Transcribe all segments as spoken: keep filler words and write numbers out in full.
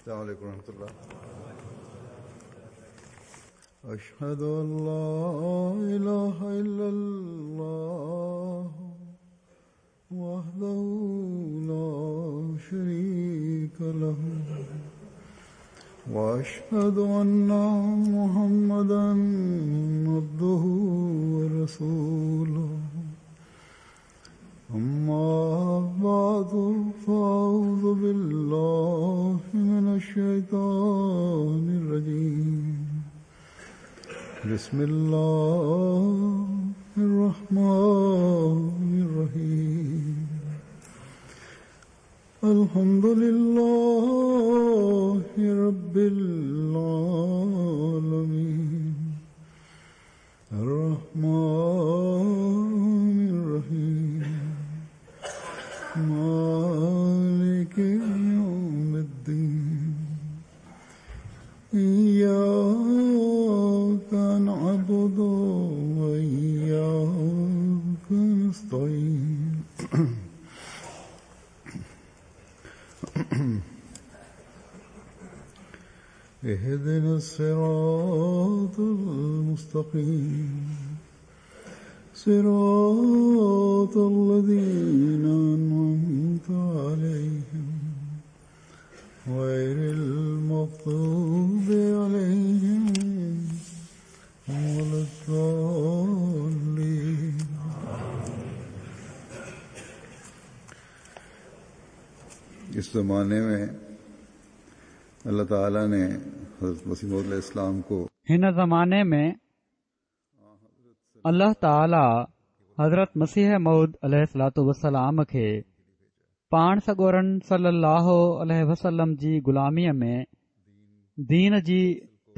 السلام عليكم ورحمة الله. أشهد أن لا إله إلا الله وحده لا شريك له وأشهد أن محمدا عبده ورسوله. أما بعد فأعوذ بالله من الشيطان الرجيم. بسم الله الرحمن الرحيم. الحمد لله رب العالمين الرحمن الرحيم مالك يوم الدين. إياك نعبد وإياك نستعين. اهدنا الصراط المستقيم صراط الذين أنعمت عليهم غير المغضوب عليهم ولا الضالين. اس زمانے میں اللہ تعالیٰ نے حضرت مسیح موعود علیہ السلام کو هن زمانے میں اللہ تعالیٰ حضرت مسيح موعود عليه الصلوة والسلام کي پاڻ سڳورن صلي الله عليه وسلم جي غلاميءَ ۾ دين جي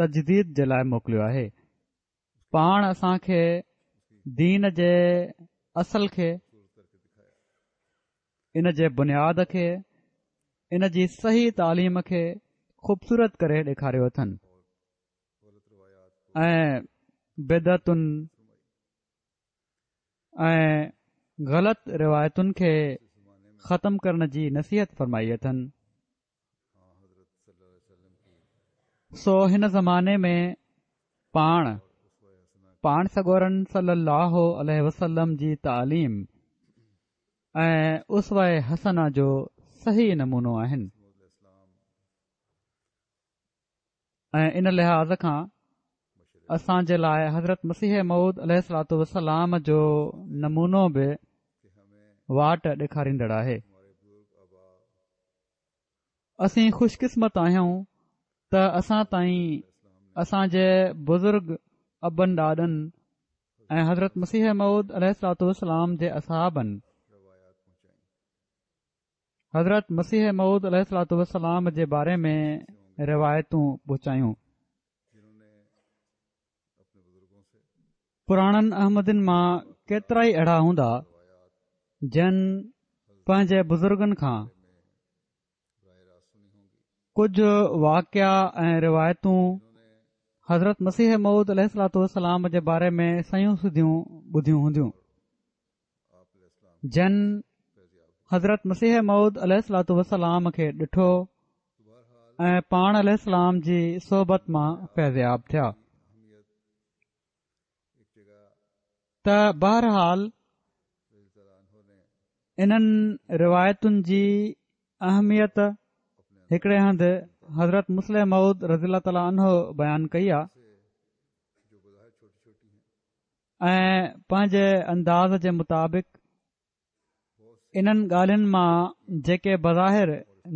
تجديد جي لاءِ موڪليو آهي. پاڻ اسان کي دين جي اصل کي، ان جي بنياد کي، ان جي صحيح تعليم کي خوبصورت ڪري ڏيکاريو اٿن ۽ بدعتن ۽ غلط روايتن کي ختم ڪرڻ جي نصيحت فرمائي اٿن. سو هن زماني ۾ پاڻ پاڻ سڳورن صلي الله عليه وسلم جي تعليم ۽ اسوه حسنه جو صحيح نمونو آهن ۽ ان لحاظ کان اسان جي لاءِ حضرت مسيح موعود عليه الصلوة والسلام جو نمونو به واٽ ڏيکاريندڙ آهي. اسين خوش قسمت آهيون ته اسان تائين اسان جي بزرگ ابن ڏاڏن ۽ حضرت مسيح موعود عليه الصلوة والسلام جي اصحابن حضرت مسيح موعود عليه الصلوة والسلام جي باري ۾ روايتون پهچايون. پراڻن احمدين مان ڪيترا ئي اهڙا هوندا جن پنهنجي بزرگن کان ڪجهه واقعا ۽ روايتون حضرت مسيح موعود عليه الصلوة والسلام جي باري ۾ سنيون سڌيون ٻڌيون هونديون، جن حضرت مسيح موعود عليه الصلوة والسلام کي ڏٺو ۽ پاڻ عليه السلام جي صحبت مان فيضياب ٿيا. ته بهرحال انهن روايتن جي اهميت هڪڙي هنڌ حضرت مصلح موعود رضي الله تعالٰي عنه بيان ڪئي آهي ۽ پنهنجي انداز جي مطابق انهن ڳالهين مان جيڪي بظاهر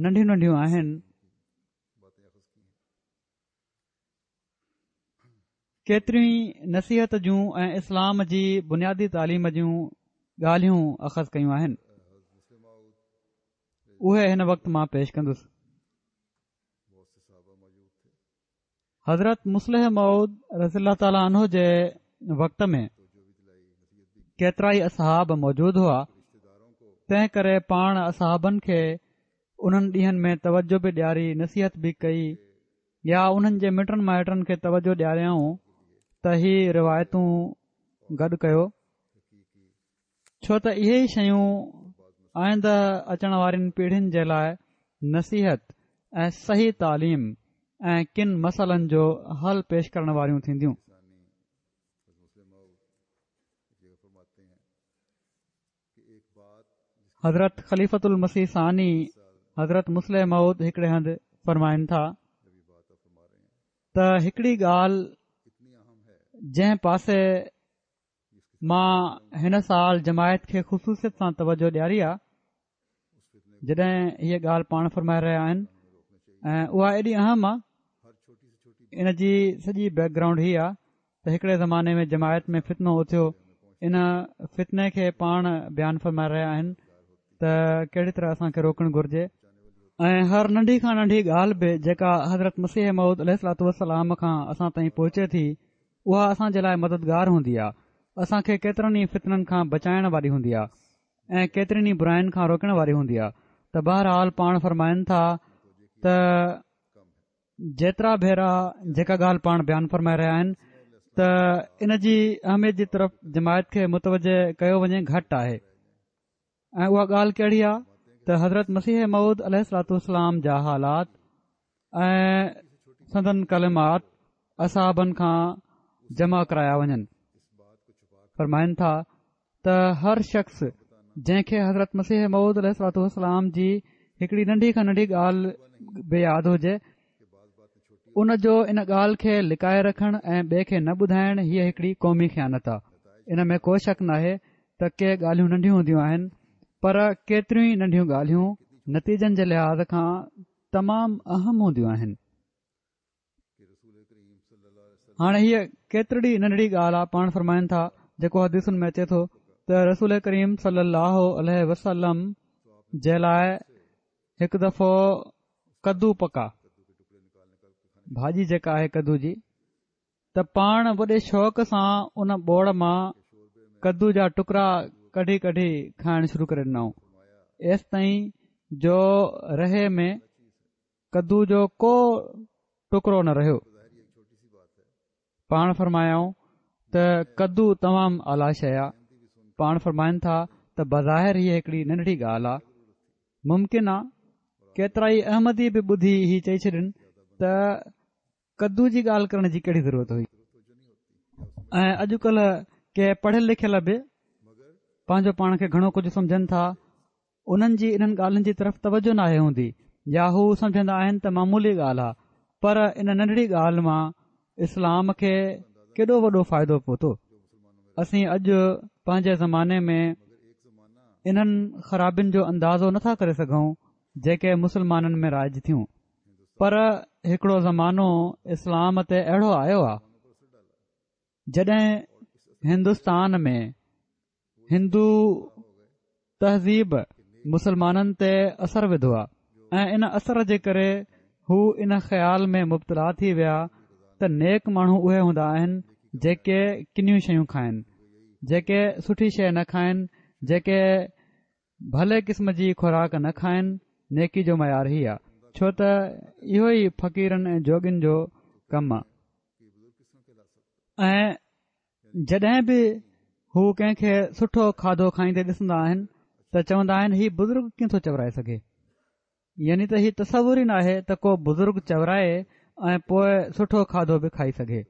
ننڍيون ننڍيون آهن ڪيتريون ئي نصيحت جون ۽ اسلام جي بنيادي تعليم جون ڳالهيون اخذ ڪيون آهن. اهي هن وقت مان پيش ڪندس. حضرت مصلح موعود رضي الله تعالٰي عنه جي وقت ۾ ڪيترا ئي اصحاب موجود هئا، تنهن ڪري پاڻ اصحابن کي انهن ڏينهن ۾ توجه به ڏياري نصيحت به ڪئي يا انهن جي مٽن مائٽن کي توجه ڏياريائون ته هي روايتون گڏ ڪيو، ڇو ته اهي ئي شيون آئنده اچڻ وارين پيڙهين جي لاءِ نصيحت ۽ صحيح تعليم ۽ ڪن مسئلن جو حل پيش ڪرڻ واريون ٿينديون. حضرت خليفة المسيح ثاني حضرت مصلح موعود هڪڙي هنڌ فرمائن ٿا ته هڪڙي ڳالهه جنهن پاسي مان هن سال جماعت کي خصوصيت سان توجه ڏياري آ، جڏهن هيء ڳالهه پاڻ فرمائي رهيا آهن ۽ اها ايڏي اهم آ، ان جي سڄي بيڪ گرائونڊ هي آ ته هڪڙي زماني ۾ جماعت ۾ فتنو اٿيو، ان فتني کي پاڻ بيان فرمائي رهيا آهن ته ڪهڙي طرح اسان کي روڪڻ گهرجي ۽ هر ننڍي کان ننڍي ڳالهه به جيڪا حضرت مسيح موعود عليه الصلوة والسلام کان اسان تائين پهچي ٿي اها اسان جي لاء مددگار هوندي آهي، اسان کي ڪيترن ئي فتنن کان بچائڻ واري هوندي آهي ۽ ڪيترين ئي براين کان روڪڻ واري هوندي آهي. ته بهرحال پاڻ فرمائن ٿا ته جيترا ڀيرا جيڪا ڳالهه پاڻ بيان فرمائي رهيا آهن ته ان جي اهميت جي طرف جماعت کي متوجه ڪيو وڃي گهٽ آهي. ۽ اها ڳالهه ڪهڙي آهي ته حضرت مسيح موعود عليه الصلوة والسلام جا حالات ۽ سندن ڪلمات اصحابن کان جمع ڪرايا وڃن. فرمائن ٿا ته هر شخص جنهن کي حضرت مسيح موعود عليه الصلوة والسلام جي هڪڙي ننڍي کان ننڍي ڳالهه به ياد هجي ان جو ان ڳالهه کي لڪائي رکڻ ۽ ٻئي کي نه ٻڌائڻ هيء هڪڙي قومي خيانت آهي. ان ۾ ڪو شڪ ناهي ته ڪي ڳالهيون ننڍيون هونديون آهن پر ڪيتريون ئي ننڍيون ڳالهيون نتيجن جي لحاظ کان تمام اهم هونديون آهن. هاڻي هيء ڪيترڙي ننڍڙي ڳالهه آ، پاڻ فرمائن ٿا جيڪو حديثن ۾ اچي ٿو ته رسول ڪريم صلي الله عليه وسلم جي لاء هڪ دفعو ڪدو پڪا، ڀاڄي جيڪا آهي ڪدو جي، ته پاڻ وڏي شوق سان ان ٻوڙ مان ڪدو جا ٽڪرا ڪڍي ڪڍي کائڻ شروع ڪري ڏنائون، ايستائين جو رهي ۾ ڪدو جو ڪو ٽڪرو نه رهيو. پاڻ فرمايائون ته ڪدو تمام اعليٰ شيء آ. پاڻ فرمائن ٿا ته بظاهر هيء هڪڙي ننڍڙي ڳالهه آ، ممڪن آ ڪيترائي احمدي به ٻڌي هي چئي ڇڏين ته ڪدو جي ڳالهه ڪرڻ جي ڪهڙي ضرورت هئي ۽ اڄڪلهه ڪي پڙهيل لکيل به پنهنجو پاڻ کي گهڻو ڪجهه سمجهن ٿا، انهن جي انهن ڳالهين جي طرف توجه ناهي هوندي يا هو سمجهندا آهن ته معمولي ڳالهه آ، پر ان ننڍڙي ڳالهه مان اسلام کي ڪيڏو وڏو فائدو پهتو. اسين اڄ پنهنجي زماني ۾ انهن خرابين جو اندازو نٿا ڪري سگهون جيڪي مسلمانن ۾ رائج ٿيون، پر هڪڙو زمانو اسلام تي اهڙو آيو آ جڏهن هندستان ۾ هندو تهذيب مسلمانن تي اثر وڌو آ ۽ ان اثر جي ڪري هو ان خيال ۾ مبتلا ٿي ويا ته نيڪ ماڻهو اهي هوندا آهن جيڪي ڪنيون شيون کائن، جيڪي سٺي شيء نه کائن، جيڪي ڀلي قسم جي خوراڪ نه کائن، نيڪي جو معيار هي آ، ڇو ته اهو ئي فقيرن ۽ جوڳين جو ڪم آ ۽ جڏهن به هو ڪنهن کي سٺو کاڌو کائيندي ڏسندا آهن ته چوندا آهن هي بزرگ ڪيئن ٿو چورائي سگهي، يعني ته هي تصور ئي ناهي ته ڪو بزرگ چورائي ۽ پوء سٺو کاڌو به کائي سگهي.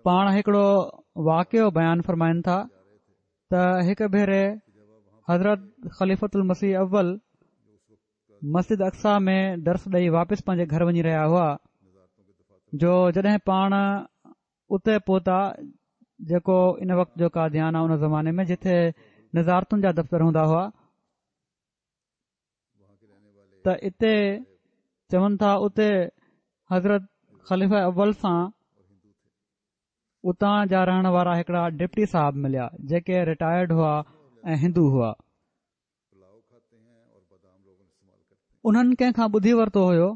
پاڻ هڪڙو واقعو بيان فرمائن ٿا ته هڪ ڀيري حضرت خليفة المسيح اول مسجد اقصيٰ ۾ درس ڏئي واپس پنهنجي گهر وڃي رهيا هئا جو جڏهن پاڻ اتي پهتا جيڪو ان وقت جو قاديان آ ان زماني ۾ جتي نظارتن جا دفتر هوندا هئا ته اتي چون ٿا اتي حضرت خليفه اول سان اتان جا رهڻ وارا هڪڙا ڊپٽي صاحب مليا جيڪي رٽائرڊ هئا ۽ هندو هئا. انهن ڪنهن کان ٻڌي ورتو هيو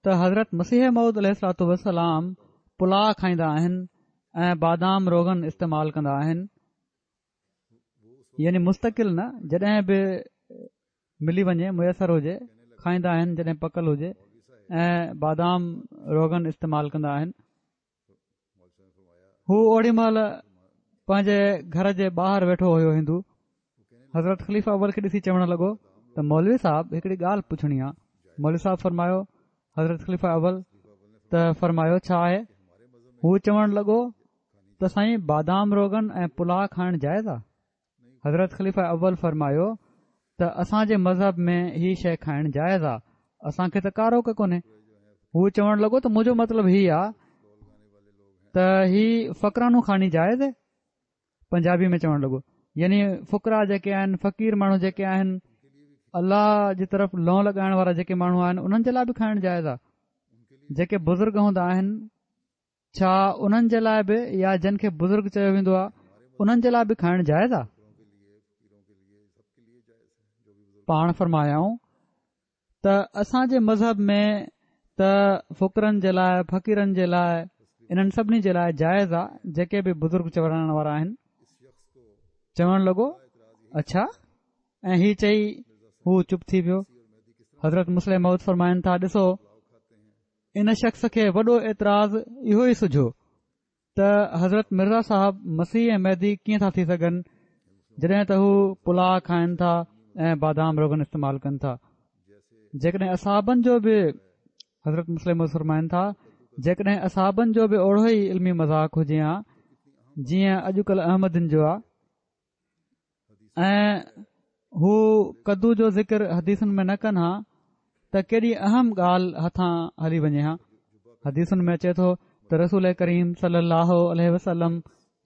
ته حضرت مسيح موعود عليه الصلوة والسلام پلاء کائيندا آهن ۽ بادام روغن استعمال ڪندا آهن، يعني مستقل نه، جڏهن به ملي وڃي ميسر هجي کائيندا آهن جڏهن پڪل هجي ۽ بادام روغن استعمال ڪندا آهن. هو اوڏي مهل پنهنجي گهر جي ٻاهر ويٺو هيو هندو حضرت خليفه اول کي ڏسي چوڻ لڳو ته مولوي صاحب هڪڙي ڳالهه پڇڻي آ. مولوي صاحب فرمايو، حضرت خليفه اول ته فرمايو ڇا آهي؟ هو چوڻ لڳو ته سائين بادام روغن ۽ پلاء کائڻ جائز آ؟ حضرت خليفه اول فرمايو ته اسان جي مذهب ۾ هي شيء کائڻ جائز آ، اسان کي ته ڪا روڪ ڪونهي. هو چوڻ لڳو ته منهنجو مطلب هي آ ته هي فقرانو کاني جائز آهي؟ پنجابي ۾ چوڻ لڳو يعني فقرا جيڪي آهن، فقير ماڻهو جيڪي آهن، الله جي طرف لئون لڳائڻ وارا جيڪي ماڻهو آهن، انهن جي لاء به کائڻ جائز آ؟ جيڪي بزرگ هوندا آهن ڇا انهن جي لاء به يا جن کي بزرگ چيو ويندو آ انهن جي لاء به کائڻ جائز آ؟ پاڻ فرمايائون ته اسان جي مذهب ۾ ته فقرن جي لاء، فقيرن جي لاء، انهن سڀني جي لاء جائز آ جيڪي به بزرگ چورائڻ وارا آهن. چوڻ لڳو اڇا، ۽ هي چئي هو چپ ٿي ويو. حضرت مصلح موعود فرمائن ٿا، ڏسو ان شخص کي وڏو اعتراض اهو ئي سجهيو ته حضرت مرزا صاحب مسيح ۽ مهدي ڪيئن ٿا ٿي سگهن جڏهن ته هو پلاء کائن ٿا ۽ بادام روغن استعمال ڪن ٿا. جيڪڏهن اصحابن جو به، حضرت مصلح موعود فرمائن ٿا، جيڪڏهن اصحابن جو به اوڙو ئي علمي مذاق هجي ها جيئن اڄڪلهه احمدين جو آ ۽ هو ڪدو جو ذڪر حديثن ۾ نه ڪن ها ته ڪيڏي اهم ڳالهه هٿان هلي وڃي ها. حديثن ۾ اچي ٿو ته رسول ڪريم صلي الله عليه وسلم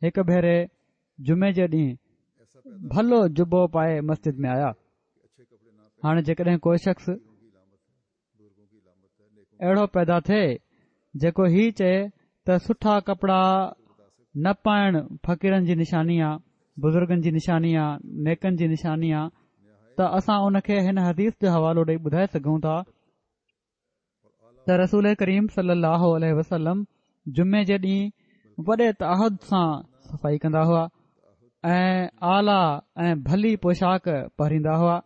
هڪ ڀيري جمعي جي ڏينهن ڀلو جبو پائي مسجد ۾ آيا. هاڻي جيڪڏهن ڪو شخص اهڙو پيدا ٿئي جيڪو هي چئي ته سٺا ڪپڙا نه پائڻ فقيرن جي نشاني آ، بزرگن جي نشاني آ، نيڪن جي نشاني آ، ته اسان ان کي هن حديث جو حوالو ڏئي ٻڌائي سگهون ٿا ته رسول ڪريم صلي الله عليه وسلم جمعي جي ڏينهن وڏي تعهد سان صفائي ڪندا هئا ۽ اعليٰ ۽ ڀلي پوشاڪ پهريندا هئا،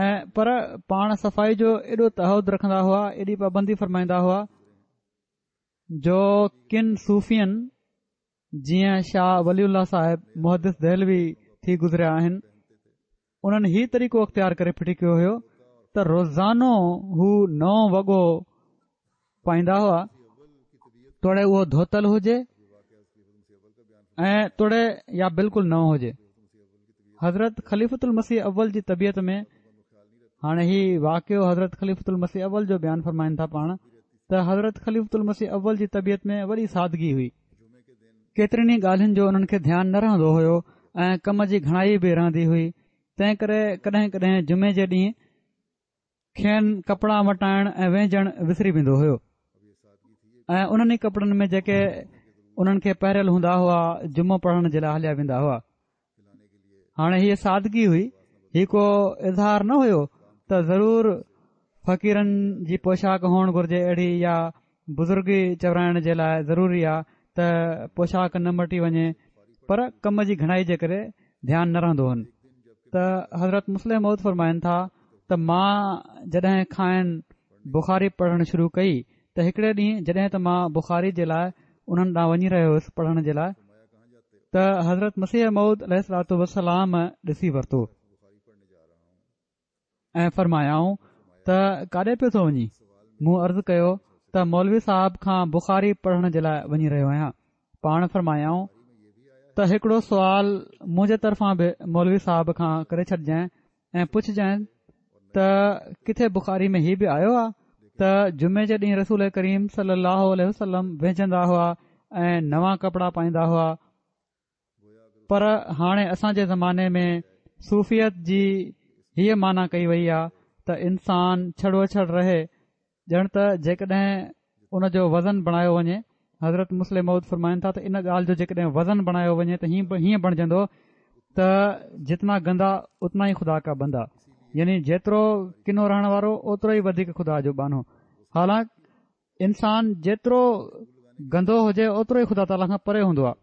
۽ پر پاڻ صفائي جو ايڏو تعهد رکندا هئا، ايڏي پابندي فرمائيندا هئا جو ڪن صوفين جيئن شاهه ولي الله صاحب محدث دهلوي ٿي گذريا آهن، انهن هي طريقو اختيار ڪري ڦٽي ڪيو هيو ته روزانو هو نئون وڳو پائيندا هئا، توڙي اهو ڌوتل هجي ۽ توڙي يا بلڪل نئون هجي. حضرت خليفة المسيح اول جي طبيعت ۾ هاڻي هي واقعو حضرت خليفة المسيح اول جو بيان فرمائن ٿا پاڻ ته حضرت خليفة المسيح اول جي طبيعت ۾ وڏي سادگي هئي، ڪيترين ئي ڳالهين جو انهن کي ڌيان نه رهندو هيو ۽ ڪم جي گهڻائي به رهندي هئي، تنهن ڪري ڪڏهن ڪڏهن جمعي جي ڏينهن کين ڪپڙا مٽائڻ ۽ وهنجڻ وسري ويندو هيو ۽ انهن ئي ڪپڙن ۾ جيڪي انهن کي پهريل هوندا هئا جمعو پڙهڻ جي لاء هليا ويندا هئا. هاڻي هيء سادگي هئي، هي ڪو اظهار نه هيو ته ضرور فقيرن جي پوشاڪ هئڻ گهرجي اهڙي يا بزرگي چورائڻ جي لاء ضروري آ ته پوشاڪ نه مٽي وڃي، پر ڪم جي گهڻائي جي ڪري ڌيان نه رهندو هن. ته حضرت مصلح موعود فرمائن ٿا ته مان جڏهن کانئن بخاري پڙهڻ شروع ڪئي ته هڪڙي ڏينهن جڏهن ته مان بخاري جي لاء انهن ڏانهن وڃي رهيو هيس پڙهڻ جي لاء ته حضرت مسيح موعود عليه الصلوة والسلام ڏسي ورتو ۽ فرمايائون ته ڪاڏي پيو ٿو وڃين؟ مون عرض ڪيو ته مولوي صاحب کان بخاري پڙهڻ جي لاء وڃي رهيو آهيان. پاڻ فرمايائون ته هڪڙو سوال منهنجي طرفان به مولوي صاحب کان ڪري ڇڏجانء ۽ پڇجانء ته ڪٿي بخاري ۾ هي به آيو آهي ته جمعي جي ڏينهن رسول ڪريم صلي الله عليه وسلم وهنجندا هئا ۽ نوان ڪپڙا پائيندا هئا، پر هاڻي اسان جي زماني ۾ صوفيت جي هيء معنيٰ ڪئي وئي آهي ته انسان ڇڙوڇڙ رهي، ڄڻ ته جيڪڏهن ان جو وزن بڻايو وڃي. حضرت مصلح موعود فرمائن ٿا ته ان ڳالهه جو جيڪڏهن وزن بڻايو وڃي ته هيئن بڻجندو ته جتنا گندا اتنا ئي خدا کا بندا، يعني جيترو ڪنو رهڻ وارو اوترو ئي وڌيڪ خدا جو ٻانهو. حالانڪ انسان جيترو گندو هجي اوترو ئي خدا تعاليٰ کان پري هوندو آهي.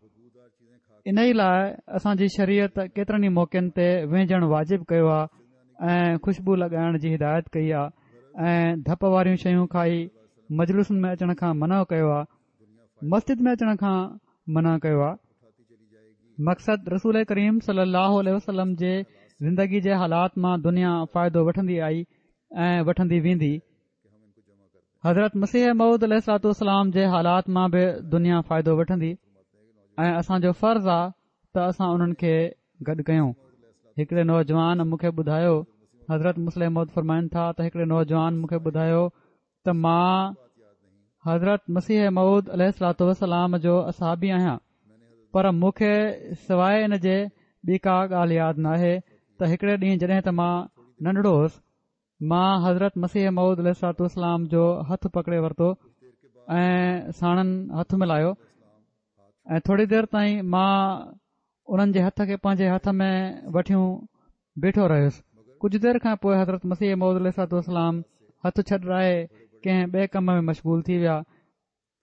انهي لاء اسان جي شريعت ڪيترن ئي موقعن تي وهنجڻ واجب ڪيو آهي ۽ خوشبو لڳائڻ جي هدايت ڪئي آهي ۽ ڌپ واريون شيون کائي مجلسن ۾ اچڻ کان منع ڪيو آهي، مسجد ۾ اچڻ کان منع ڪيو آهي. مقصد رسول ڪريم صلي الله عليه وسلم جي زندگي جي حالات مان دنيا فائدو وٺندي آئي ۽ وٺندي ويندي. حضرت مسيح موعود عليه الصلوة والسلام جي حالات مان به دنيا فائدو وٺندي ۽ اسان جو فرض آ ته اسان انهن کي گڏ ڪيون. هڪڙي نوجوان مون کي ٻڌايو، حضرت مصلح موعود فرمائن ٿا ته هڪڙي نوجوان مون کي ٻڌايو ته مان حضرت مسيح موعود عليه الصلوة والسلام جو اصحابي آهيان، پر مون کي سواء ان جي ٻي ڪا ڳالهه ياد ناهي ته هڪڙي ڏينهن جڏهن ته مان ننڍڙو هوس، مان حضرت مسيح موعود عليه الصلوة والسلام جو هٿ پڪڙي ورتو ۽ ساڻن هٿ ملايو ۽ ٿوري دير تائين مان انهن جي هٿ کي پنهنجي هٿ ۾ وٺيون بيٺو رهيس. ڪجهه دير کان پوء حضرت مسيح موعود عليه الصلوة والسلام هٿ ڇڏرائي ڪنهن ٻئي ڪم ۾ مشغول ٿي ويا.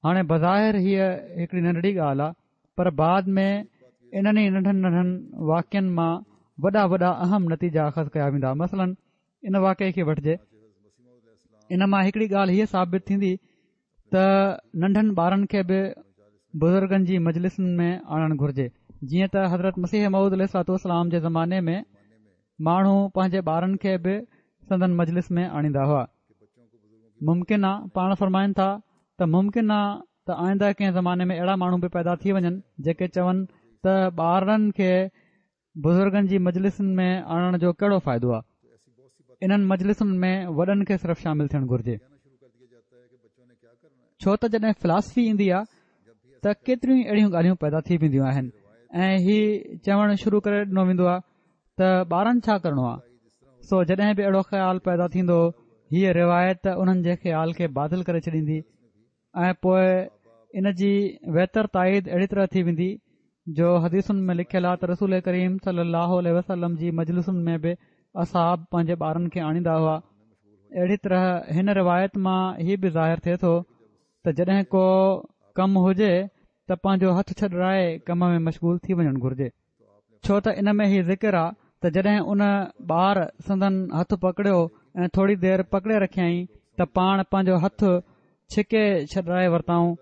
هاڻي بظاهر هيء هڪڙي ننڍڙي ڳالهه آهي، پر بعد ۾ انهن ئي ننڍن ننڍن واقعن مان وڏا وڏا اهم نتيجا اخذ ڪيا ويندا. مثلاً ان واقعي کي وٺجي، ان مان هڪڙي ڳالهه هيء ثابت ٿيندي ته ننڍن ٻارن کي به بزرگن جي مجلسن ۾ آڻڻ گهرجي، جيئن ته حضرت مسيح موعود عليه الصلوة والسلام جي زماني ۾ ماڻهو پنهنجي ٻارن کي به سندن مجلس ۾ آڻيندا هئا. ممڪن آ، پاڻ فرمائن ٿا ته ممڪن آ ته آئنده ڪنهن زماني ۾ اهڙا ماڻهو به پيدا ٿي وڃن جيڪي چون ته ٻارڙن کي بزرگن جي مجلسن ۾ آڻڻ جو ڪهڙو فائدو آ، انهن مجلسن ۾ وڏن کي صرف شامل ٿيڻ گهرجي. ڇو ته جڏهن فلاسفي ايندي آ ته ڪيتريون ئي اهڙيون ڳالهيون پيدا ٿي وينديون آهن ۽ هي چوڻ شروع ڪري ڏنو ويندو آ ته ٻارن ڇا ڪرڻو آ. سو جڏهن به اهڙو خيال پيدا ٿيندو، هيء روايت انهن جي خيال کي باطل ڪري ڇڏيندي ۽ پوء ان جي ويتر تائيد اهڙي طرح ٿي ويندي جو حديثن ۾ لکيل آ ته رسول ڪريم صلي الله عليه وسلم جي مجلسن ۾ به اصحاب پنهنجي ٻارن کي آڻيندا هئا. اهڙي طرح هن روايت مان هي به ظاهر ٿئي ٿو ته جڏهن ڪو ڪم هجي ته پنهنجو هٿ ڇڏرائي ڪم ۾ مشغول ٿي وڃڻ گهرجي، ڇو ته ان ۾ هي ذڪر آ ته جڏهن ان ٻار سندن هٿ پڪڙيو ۽ ٿوري دير پڪڙي رکيائين ته پاڻ پنهنجو هٿ ڇڪي ڇڏرائي ورتائون.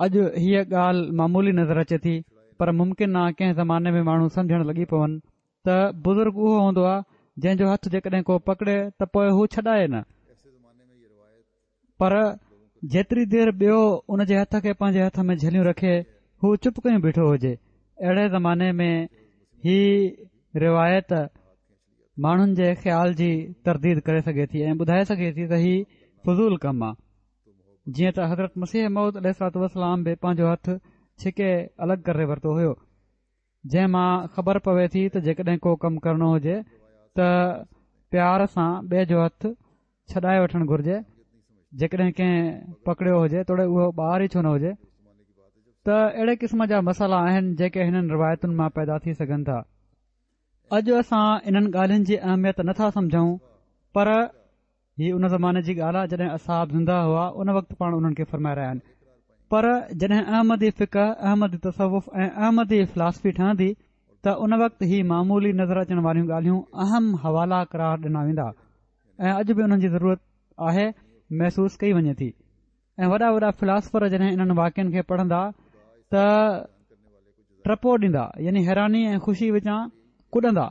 اڄ هيء ڳالهه معمولي نظر اچي ٿي، پر ممڪن آ ڪنهن زماني ۾ ماڻهو سمجهڻ لڳي پون ته بزرگ اهو هوندو آ جنهن جو هٿ جيڪڏهن ڪو پڪڙي ته پوء هو ڇڏائي نه، پر جيتري دير ٻيو ان جي هٿ کي پنهنجي هٿ ۾ جهليون رکي هو چپ ڪيون بيٺو هجي. اهڙي زماني ۾ هي روايت ماڻهن جي خيال جي ترديد ڪري سگهي ٿي ۽ ٻڌائي سگهي ٿي ته هي فضول ڪم آ، جيئن ته حضرت مسيح موعود عليه الصلوة والسلام به پنهنجو هٿ ڇڪي الڳ ڪري ورتو هيو، جنهن مان خبر پوي ٿي ته جيڪڏهن ڪو ڪم ڪرڻو هجي ته پيار سان ٻئي جو هٿ ڇڏائي وٺڻ گهرجي، جيڪڏهن ڪنهن پڪڙيو هجي توڙي اهو ٻار ئي ڇو نه هجي. ته اهڙي قسم جا مسئلا آهن جيڪي هنن روايتن مان پيدا ٿي سگهن ٿا. اڄ اسان انهن ڳالهين جي اهميت نٿا سمجهون، پر هي ان زماني جي ڳالهه آهي جڏهن اصحاب زنده هئا، ان وقت پاڻ انهن کي فرمائي رهيا آهن. پر جڏهن احمدي فقه، احمدي تصوف ۽ احمدي فلاسفي ٺهندي ته ان وقت هي معمولي نظر اچڻ واريون ڳالهيون اهم حوالا قرار ڏنا ويندا ۽ اڄ به انهن جي ضرورت آهي محسوس ڪئي وڃي ٿي ۽ وڏا وڏا فلاسفر جڏهن انهن واقعن کي پڙهندا ته ٽپو ڏيندا، يعني حيراني ۽ خوشي وچان ڪڏندا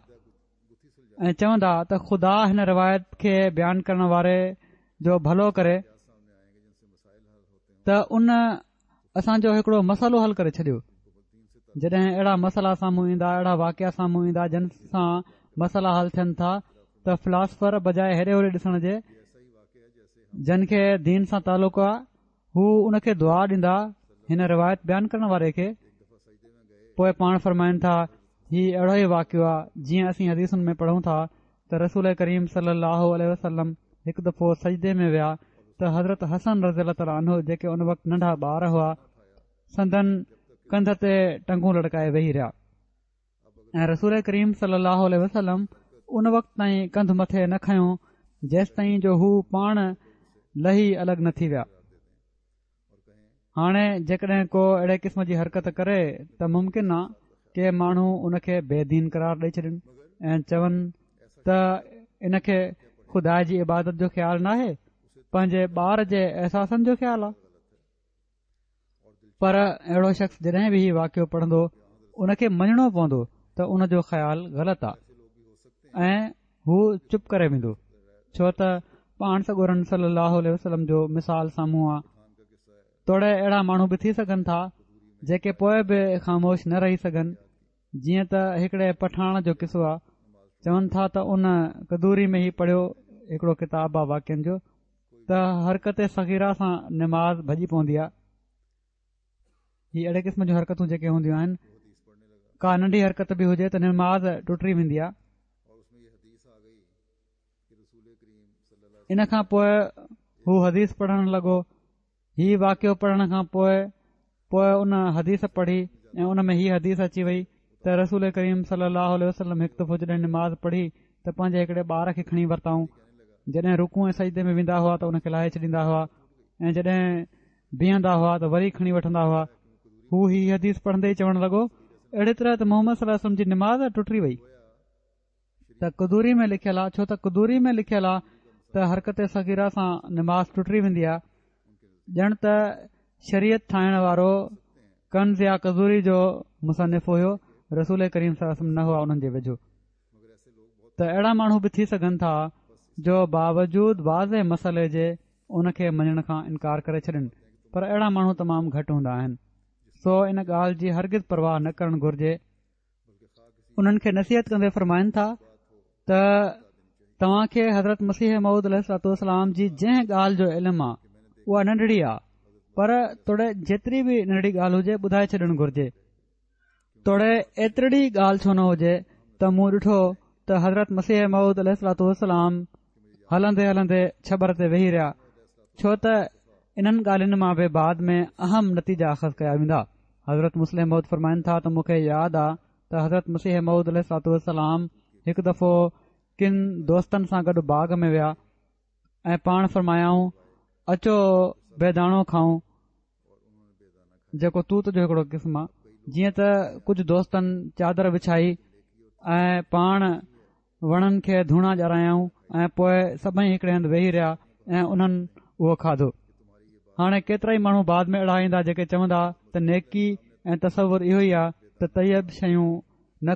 ۽ چوندا ته خدا هن روايت کي بيان ڪرڻ واري جو ڀلو ڪري ته ان اسان جو هڪڙو مسئلو حل ڪري ڇڏيو. جڏهن اهڙا مسئلا سامهون ايندا، اهڙا واقعا سامهون ايندا جن سان مسئلا حل ٿين ٿا ته فلاسفر بجاء هيڏي هوڏي ڏسڻ جي جن کي دين سان تعلق آ هو ان کي دعا ڏيندا هن روايت بيان ڪرڻ واري کي. پوء پاڻ فرمائن ٿا هي اهڙو ئي واقعو آ جيئن اسين حديثن ۾ پڙهون ٿا ته رسول ڪريم صلي الله عليه وسلم هڪ دفعو سجدي ۾ ويا ته حضرت حسن رضي الله تعالٰي عنه جيڪي ان وقت ننڍا ٻار هئا سندن ڪنڌ تي ٽنگون لڙڪائي ويهي رهيا ۽ رسول ڪريم صلي الله عليه وسلم ان وقت تائين ڪنڌ مٿي نه کنيو جيستائين جو هو پاڻ لهي الڳ نه ٿي ويا. هاڻي جيڪڏهن ڪو اهڙي قسم جي حرڪت ڪري ته ممڪن آ ڪي ماڻهو ان کي بي دين قرار ڏئي ڇڏين ۽ چون ته ان کي خدا جي عبادت جو خيال ناهي، پنهنجي ٻار جي احساسن جو خيال آ. پر اهڙو شخص جڏهن به هي واقعو پڙهندو ان کي مڃڻو پوندو ته ان جو خيال غلط آهي ۽ هو چپ ڪري ويندو، ڇو ته پاڻ سڳورن صلي الله عليه وسلم جو مثال سامهون آهي. توڙي اهڙا ماڻهو به ٿي سگهن ٿا جيڪي پوء به خاموش نه رهي سگهن، جيئن ته هڪڙي پٺاڻ جو قصو آهي. چون ٿا ته ان قدوري ۾ هي پڙهيو، هڪڙو ڪتاب آهي واقعن جو، ته حرڪت صغيره سان نماز ڀڄي پوندي آهي. هي اهڙي قسم جون حرڪتون جيڪي هونديون آهن، ڪا ننڍي حرڪت به هجي ته نماز ٽٽي ويندي آهي. ان کان پوء هو حديث پڙهڻ لڳو. هي واقعو پڙهڻ کان پوء پوء ان حديث پڙهي ۽ ان ۾ هي حديث اچي وئي ته رسول ڪريم صلي الله عليه وسلم هڪ دفعو جڏهن نماز پڙهي ته پنهنجي هڪڙي ٻار کي کڻي ورتائون. جڏهن رڪوع ۽ سجدي ۾ ويندا هئا ته ان کي لاهي ڇڏيندا هئا ۽ جڏهن بيهندا هئا ته وري کڻي وٺندا هئا. هو هي حديث پڙهندي ئي چوڻ لڳو، اهڙي طرح ته محمد صلي الله عليه وسلم جي نماز ٽٽي وئي. ته قدوري ۾ لکيل آ، ڇو ته قدوري ۾ لکيل آ ته حرڪت صغيره سان نماز ٽٽي ويندي آ، ڄڻ ته شريعت ٺاهڻ وارو ڪنز يا قدوري جو مصنف هيو، رسول ڪريم صلي الله عليه وسلم نه هئا انهن جي ويجهو. ته اهڙا ماڻهو به ٿي سگهن ٿا جو باوجود واضح مسئلي جي ان کي مڃڻ کان انڪار ڪري ڇڏن، پر اهڙا ماڻهو تمام گهٽ هوندا آهن، سو ان ڳالهه جي هرگز پرواهه نه ڪرڻ گهرجي. انهن کي نصيحت ڪندي فرمائن ٿا ته توهان کي حضرت مسيح موعود عليه الصلوة والسلام جي جنهن ڳالهه جو علم آ اها ننڍڙي آ، پر توڙي جيتري به ننڍڙي ڳالهه هجي ٻڌائي ڇڏڻ گهرجي، توڙي ايترڙي ڳالهه ڇو نه هجي. ته مون ڏٺو ته حضرت مسيح موعود عليه الصلوة والسلام هلندي هلندي ڇٻر تي ويهي رهيا، ڇو ته انهن ڳالهين مان به بعد ۾ اهم نتيجا اخذ ڪيا ويندا. حضرت مصلح موعود فرمائن ٿا ته مون کي ياد آ ته حضرت مسيح موعود عليه الصلوة والسلام هڪ دفعو ڪن دوستن سان گڏ باغ ۾ ويا ۽ پاڻ فرمايائون، اچو بيداڻو کائون، جيڪو توت جو هڪڙو قسم آ. جيئن ته ڪجهه دوستن چادر وڇائي ۽ پاڻ وڻن کي ڌوڻا ڏياريائون ۽ پوء سڀئي هڪڙي هنڌ ويهي رهيا ۽ انهن اهو کاڌو. هاڻي ڪيترائي ماڻهو بعد ۾ اهڙا ايندا جيڪي چوندا ته نيڪي ۽ تصور اهو ئي آ ته طيب شيون نه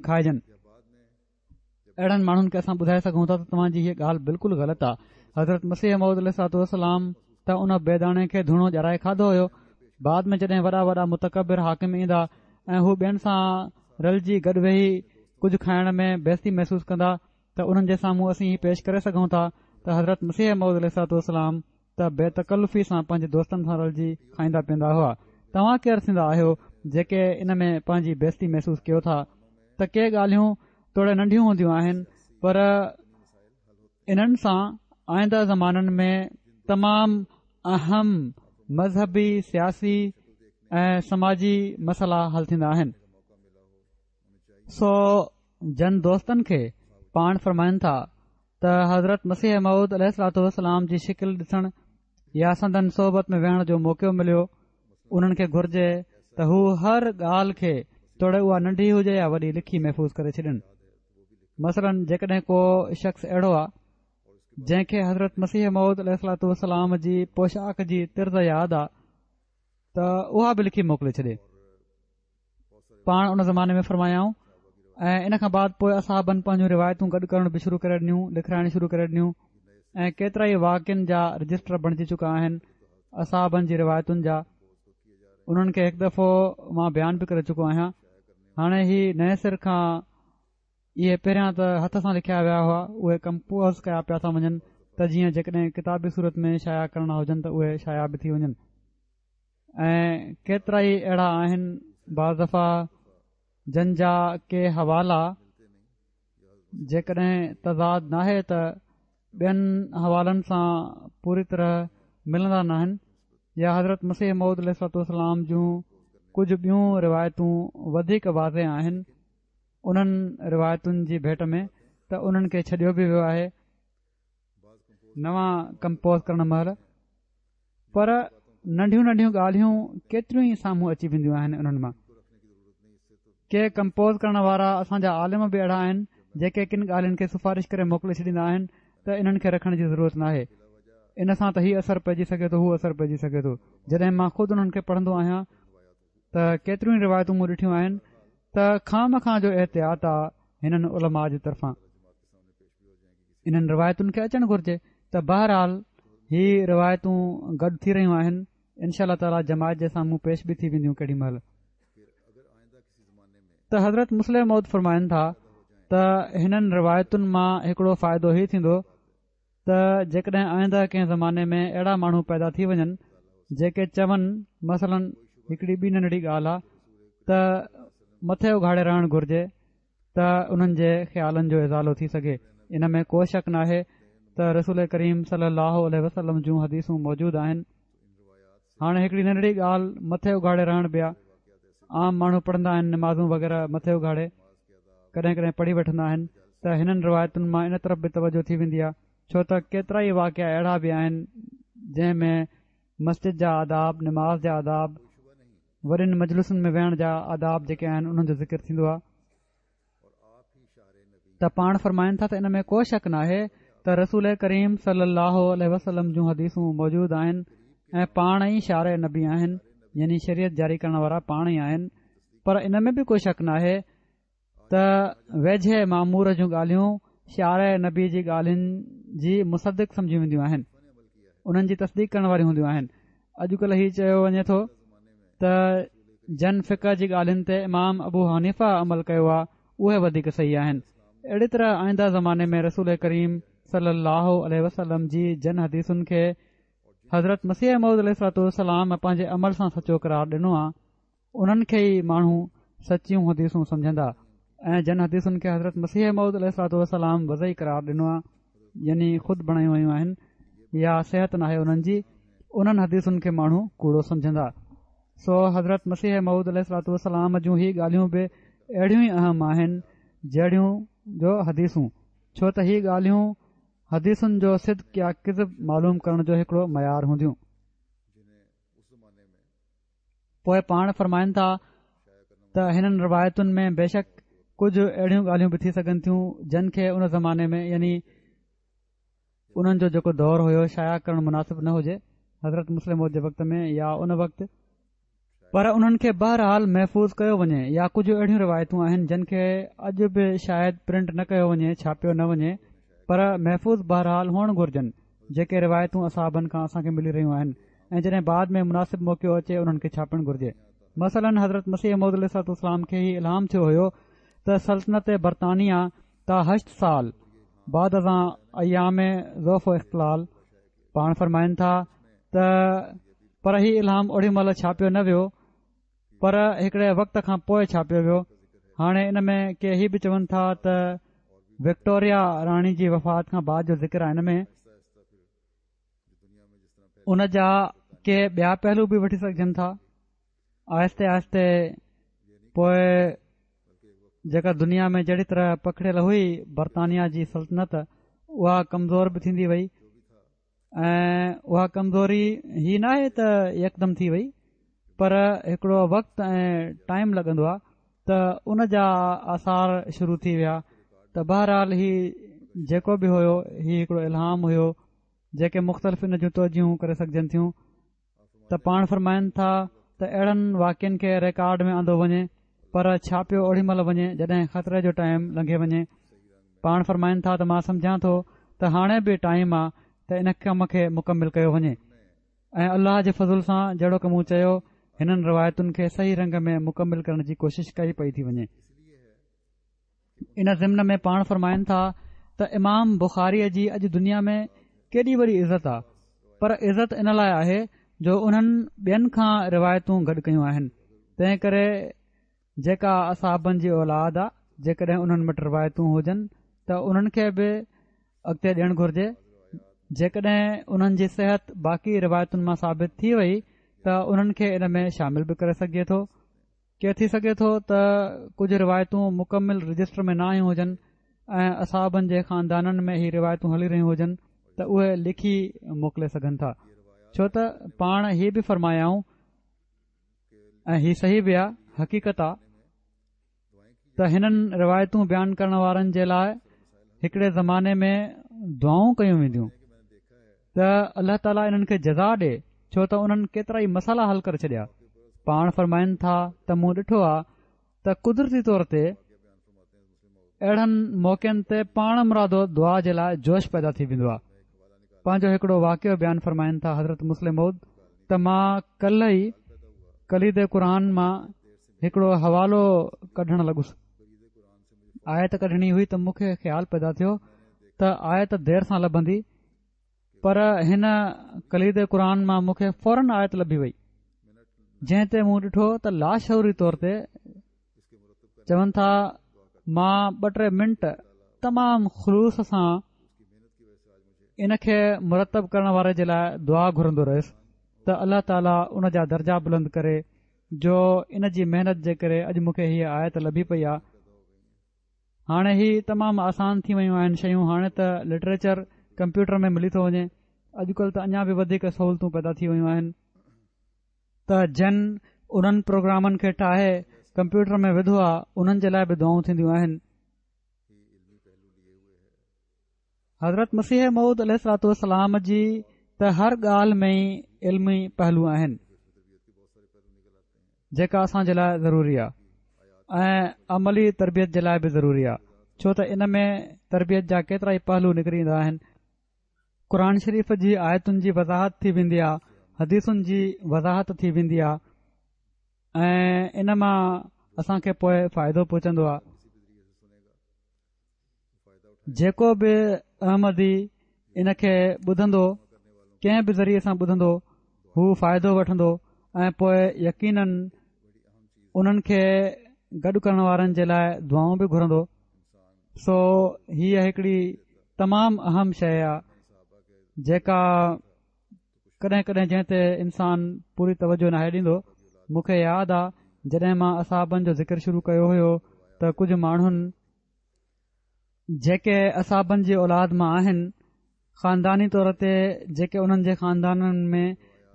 کائجن. اهڙن ماڻهن کي اسان ٻڌائي سگهون ٿا ته توهان جي هيء ڳالهه بلڪل غلط آ. حضرت مسيح موعود عليه الصلوة والسلام ته ان بيداڻي کي ڌوڻو ڏيارائي کاڌو هيو. بعد ۾ جڏهن وڏا وڏا متڪبر حاڪم ايندا ۽ هو ٻين سان رلجي گڏ ويهي ڪجهه کائڻ ۾ بيستي محسوس ڪندا ته انهن جي سامهون اسين هي پيش ڪري سگهون ٿا ته حضرت مسيح موعود عليه الصلوة والسلام ته بي تڪلفي سان پنهنجي دوستن سان رلجي کائيندا پيئندا هئا. توهان ڪير ٿيندا آهيو جيڪي ان ۾ پنهنجي بيستي محسوس ڪيو ٿا؟ ته ڪي ڳالهيون توڙي ننڍيون هونديون آهن پر انهن سان آئنده زمانن ۾ تمام اهم مذهبي، سياسي ۽ سماجي مسئلا حل ٿيندا آهن. سو جن دوستن کي پاڻ فرمائن ٿا ته حضرت مسيح موعود عليه الصلوة والسلام جي شڪل ڏسڻ يا سندن صحبت ۾ ويهڻ جو موقعو مليو، انهن کي گهرجي ته هو هر ڳالهه کي توڙي اها ننڍي هجي يا وڏي لکي محفوظ ڪري ڇڏين. مثلاً جيڪڏهن ڪو شخص اهڙو آ جنهن کي حضرت مسيح موعود عليه الصلوة والسلام جي پوشاڪ جي طرز ياد آ ته اها به لکي موڪلي ڇڏي. پاڻ ان زماني ۾ فرمايائون ۽ ان کان بعد پوء اصحابن پنهنجون روايتون گڏ ڪرڻ به شروع ڪري ڏنيون، لکرائڻ شروع ڪري ڏنيون ۽ ڪيترا ئي واقعن جا رجسٽر بڻجي چڪا آهن اصحابن جي روايتن جا. انهن کي هڪ دفعو مان بيان به ڪري چڪو آهيان. هاڻي هي نئين سر کان اهي پهريان ته هٿ سان لکيا ويا هئا، اهي ڪمپوز ڪيا پيا ٿا وڃن ته جيئن جيڪڏهن ڪتابي صورت ۾ شايع ڪرڻا هجن ته اهي شايع به ٿي وڃن. ۽ ڪيترائي اهڙا آهن بعض دفعا جن جا ڪي حوالا جيڪڏهن تضاد ناهي ته ٻين حوالن سان پوري طرح ملندا ناهن يا حضرت مسيح موعود عليه الصلوة والسلام جون ڪجهه ٻيون روايتون وڌيڪ واضح آهن انهن روايتن جي ڀيٽ ۾ ته انهن کي ڇڏيو به ويو آهي نوان ڪمپوز ڪرڻ مهل. پر ننڍيون ننڍيون ڳالهيون ڪيتريون ئي سامهون اچي وينديون آهن. انهن مان ڪي ڪمپوز ڪرڻ وارا اسان جا عالم به اهڙا آهن جيڪي ڪن ڳالهين کي سفارش ڪري موڪلي ڇڏيندا آهن ته انهن کي رکڻ جي ضرورت ناهي، ان سان ته هي اثر پئجي سگهي ٿو، هو اثر پئجي سگهي ٿو. جڏهن مان خود انهن کي پڙهندو آهيان ته ڪيتريون ئي روايتون مون ڏٺيون آهن ته خوامخواه جو احتياط آ هنن علماء جي طرفان. انهن روايتن کي اچڻ گهرجي ته بهرحال هي روايتون گڏ ٿي رهيون آهن، انشاء الله تعاليٰ جماعت جي سامهون پيش به ٿي وينديون ڪيڏي مهل. ته حضرت مصلح موعود فرمائن ٿا ته هنن روايتن مان هڪڙو فائدو هي ٿيندو ته جيڪڏهن آئنده ڪنهن زماني ۾ اهڙا ماڻهو پيدا ٿي وڃن جيڪي چون، مثلاً هڪڙي ٻي ننڍڙي ڳالهه آ ته مٿي اگهاڙي رهڻ گهرجي ته انهن جي خيالن جو ازالو ٿي سگهي. ان ۾ ڪو شڪ ناهي ته رسول ڪريم صلي الله عليه وسلم جون حديثون موجود آهن. هاڻي هڪڙي ننڍڙي ڳالهه مٿي اگهاڙي رهڻ به آ، عام ماڻهو پڙهندا آهن نمازون وغيره مٿي اگهاڙي ڪڏهن ڪڏهن پڙهي وٺندا آهن ته هنن روايتن مان ان طرف به توجه ٿي ويندي آ، ڇو ته ڪيترائي واقعا اهڙا به آهن جنهن ۾ مسجد جا آداب، نماز جا آداب، وڏين مجلسن ۾ ويهڻ جا آداب جيڪي آهن انهن جو ذڪر ٿيندو آ. ته پاڻ فرمائن ٿا ته ان ۾ ڪو شڪ ناهي ته رسول ڪريم صلي الله عليه وسلم جون حديثون موجود آهن ۽ پاڻ ئي شارع نبي آهن، يعني شريعت جاري ڪرڻ وارا پاڻ ئي آهن، پر ان ۾ به ڪو شڪ ناهي ته ويجهي مامور جون ڳالهيون شارع نبي جي ڳالهين جي مصدق سمجهيون وينديون آهن، انهن جي تصديق ڪرڻ واريون هونديون آهن. اڄڪلهه هي چيو وڃي ٿو ته جن فقه جي ڳالهين تي امام ابو حنيفه عمل ڪيو آهي اهي وڌيڪ صحيح آهن. اهڙي طرح آئنده زماني ۾ رسول ڪريم صلي الله عليه وسلم جي جن حديثن کي حضرت مسيح موعود عليه الصلوة والسلام پنهنجي عمل سان سچو قرار ڏنو آهي انهن کي ئي ماڻهو سچيون حديثون سمجهندا ۽ جن حديثن کي حضرت مسيح موعود عليه الصلوة والسلام وضعي قرار ڏنو آهي، يعني خود بڻايون ويون آهن يا صحت ناهي انهن جي، انهن حديثن کي ماڻهو ڪوڙو سمجهندا. سو حضرت مسيح موعود عليه الصلوة والسلام جون هي ڳالهيون به اهڙيون ئي اهم آهن جهڙيون جو حديثون، ڇو ته هي ڳالهيون حديثن جو صدق يا ڪذب معلوم ڪرڻ جو هڪڙو معيار هونديون. پوء پاڻ فرمائن ٿا ته هنن روايتن ۾ بيشڪ ڪجهه اهڙيون ڳالهيون به ٿي سگهن ٿيون جن کي ان زماني ۾ يعني انهن جو جيڪو دور هيو شايع ڪرڻ مناسب نه هجي، حضرت مصلح موعود جي وقت ۾ يا ان وقت، پر انهن کي بهرحال محفوظ ڪيو وڃي يا ڪجهه اهڙيون روايتون آهن جن کي اڄ به شايد پرنٽ نه ڪيو وڃي، ڇاپيو نه وڃي، پر محفوظ بهرحال هئڻ گهرجن، جيڪي روايتون اصحابن کان اسان کي ملي رهيون آهن ۽ جڏهن بعد ۾ مناسب موقعو اچي انهن کي ڇاپڻ گهرجي. مثلاً حضرت مسيح موعود عليه الصلوة والسلام کي هي الهام ٿيو هيو ته سلطنت برطانيه تا هشت سال بعد ازان ايام ضعف و اختلال، پاڻ فرمائن ٿا ته پر هي الهام اوڏي مهل ڇاپيو نه ويو پر هڪڙي وقت کان پوء ڇاپيو ويو. هاڻي ان ۾ ڪي هي به چون ٿا ته وڪٽوريا راڻي جي وفات کان بعد جو ذڪر آهي ان ۾ ان جا ڪي ٻيا پهلو به وٺي سگهجن ٿا. آهستي آهستي پوء جيڪا دنيا ۾ جهڙي طرح پکڙيل هئي برطانيا جي سلطنت اها ڪمزور به ٿيندي وئي ۽ اها ڪمزوري هي ناهي ته يڪدم ٿي وئي پر هڪڙو وقت ۽ ٽائيم لڳندو آهي ته ان جا آثار شروع ٿي ويا. ته بهرحال هي جيڪو به هيو هي هڪڙو الهام هيو جيڪي مختلف ان جون توجيهون ڪري سگهجن ٿيون. ته پاڻ فرمائن ٿا ته اهڙن واقعن کي رڪارڊ ۾ آندو وڃي پر ڇاپيو اوڏي مهل وڃي جڏهن خطري جو ٽائيم لنگهي وڃي. پاڻ فرمائن ٿا ته مان سمجهان ٿو ته هاڻي به ٽائيم آ ته ان ڪم کي مڪمل ڪيو وڃي ۽ الله جي فضل سان جهڙوڪ مون چيو هنن روايتن کي صحيح رنگ ۾ مڪمل ڪرڻ جي ڪوشش ڪئي پئي ٿي وڃي. ان ضمن ۾ پاڻ فرمائن ٿا ته امام بخاريء جي اڄ دنيا ۾ ڪيڏي وڏي عزت آ، پر عزت ان لاء آهي جو انهن ٻين کان روايتون گڏ ڪيون آهن، تنهن ڪري جيڪا اصحابن جي اولاد آ جيڪڏهن انهن وٽ روايتون هجن ته انهن کي به اڳتي ڏيڻ گهرجي، جيڪڏهن انهن جي صحت باقي روايتن مان ثابت ٿي وئي ته انهن کي ان ۾ شامل به ڪري سگهجي ٿو. ڪي ٿي سگهي ٿو ته ڪجهه روايتون مڪمل رجسٽر ۾ نه آيون هجن ۽ اصحابن جي خاندانن ۾ هي روايتون هلي رهيون هجن ته اهي لکي موڪلي سگهن ٿا، ڇو ته پاڻ هي به فرمايائون ۽ هي صحيح به آ، حقيقت آ ته هنن روايتون بيان ڪرڻ وارن جي لاء هڪڙي زماني ۾ دعائون ڪيون وينديون ته الله تعاليٰ انهن کي جزا ڏي، ڇو ته انهن ڪيترا ئي مسئلا حل ڪري ڇڏيا. پاڻ فرمائن ٿا ته مون ڏٺو آ ته قدرتي طور تي اهڙن موقعن تي پاڻ مرادو دعا جي لاءِ جوش پيدا ٿي ويندو آهي. پنهنجو هڪڙو واقعو بيان فرمائن ٿا حضرت مصلح موعود ته مان ڪلهه ئي ڪليد قرآن مان هڪڙو حوالو ڪڍڻ لڳس. آيت ڪڍڻي هئي ته مون کي خيال پيدا ٿيو ته آيت دير سان لڀندي، پر هن ڪليد قرآن مان مون کي فورن آيت لڀي وئي، جنهن تي مون ڏٺو ته لاشعوري طور تي چون ٿا مان ٻه ٽي منٽ تمام خلوص سان ان کي مرتب ڪرڻ واري جي لاءِ دعا گهرندو رهيس ته الله تعاليٰ ان جا درجا بلند ڪري جو ان جي محنت جي ڪري اڄ مون کي هيءَ آيت لڀي پئي آهي. هاڻي هي تمام آسان ٿي ويون آهن شيون، هاڻي ته لٽريچر ڪمپيوٽر ۾ ملي ٿو وڃي، اڄڪلهه ته اڃا به وڌيڪ سهولتون پيدا ٿي ويون آهن ته جن انهن پروگرامن کي ٺاهي ڪمپيوٽر ۾ وڌو آهي انهن جي لاءِ به دعائون ٿينديون آهن. حضرت مسيح موعود عليه الصلوة والسلام جي ته هر ڳالهه ۾ ئي علمي پهلو آهن جيڪا اسان جي لاءِ ضروري آهي ۽ عملي تربيت جي لاءِ به ضروري آهي، ڇو ته ان ۾ تربيت جا ڪيترا ئي پهلو نڪري ايندا آهن. قرآن شريف جي آيتن جي وضاحت ٿي ويندي آهي، حديثن جي وضاحت ٿي ويندي آهي ۽ ان مان اسان کي پوءِ فائدو پهچندو آهي. جيڪو به احمدي ان کي ٻڌندو، ڪنهن به ذريعي سان ٻڌندو، هو فائدو وٺندو ۽ پوءِ يقينن انهن کي گڏ ڪرڻ وارن جي لاءِ دعائون به گهرندو. سو هيءَ هڪڙي تمام اهم شيءِ آهي جيڪا ڪڏهن ڪڏهن جنهن تي انسان پوري توجهه ناهي ڏيندو. مون کي ياد آهي جڏهن مان اصحابن جو ذڪر شروع ڪيو هيو ته ڪجهه ماڻهن جيڪي اصحابن جي اولاد مان آهن، خانداني طور تي جيڪي انهن جي خاندانن ۾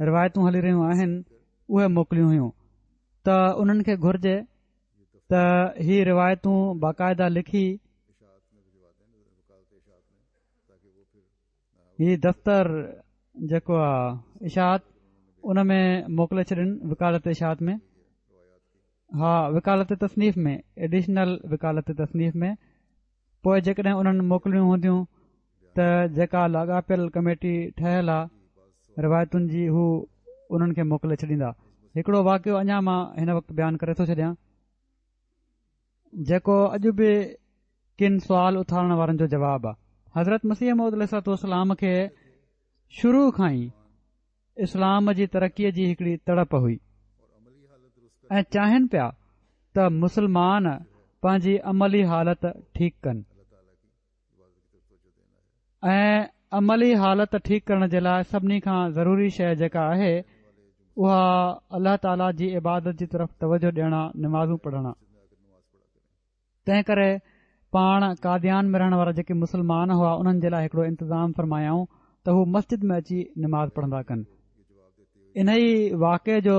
روايتون هلي رهيون آهن، اهي موڪليون هيون ته انهن کي گهرجي ته هي روايتون باقاعده لکي هي دفتر جيڪو آهي اشاعت ان ۾ موڪلي ڇڏن، وڪالت اشاعت ۾، ها وڪالت تصنيف ۾ ايڊيشنل وڪالت تصنيف ۾. پوءِ جيڪڏهن انهن موڪليون هونديون ته جيڪا لاڳاپيل ڪميٽي ٺهيل آهي روايتن جي، هو انهن کي موڪلي ڇڏيندا. هڪڙو واقعو اڃا مان هن وقت بيان ڪري ٿو ڇڏيان جيڪو اڄ به ڪن سوال اٿارڻ وارن جو جواب آهي. حضرت مسيح موعود عليه الصلوة والسلام کي شروع کان ئي اسلام جي ترقيءَ جي هڪڙي تڙپ هئي ۽ چاهين پيا ته مسلمان پنهنجي عملي حالت ٺيڪ ڪن ۽ عملي حالت ٺيڪ ڪرڻ جي لاءِ سڀني کان ضروري شيءِ جيڪا آهي اها الله تعاليٰ جي عبادت جي طرف توجهه ڏيڻ آ، نمازون پڙهڻ آ. تنهن ڪري پاڻ قاديان ۾ رهڻ وارا جيڪي مسلمان هئا انهن جي لاءِ هڪڙو انتظام فرمايائون ته هو مسجد ۾ اچي نماز پڙهندا ڪن. ان ئي واقعي جو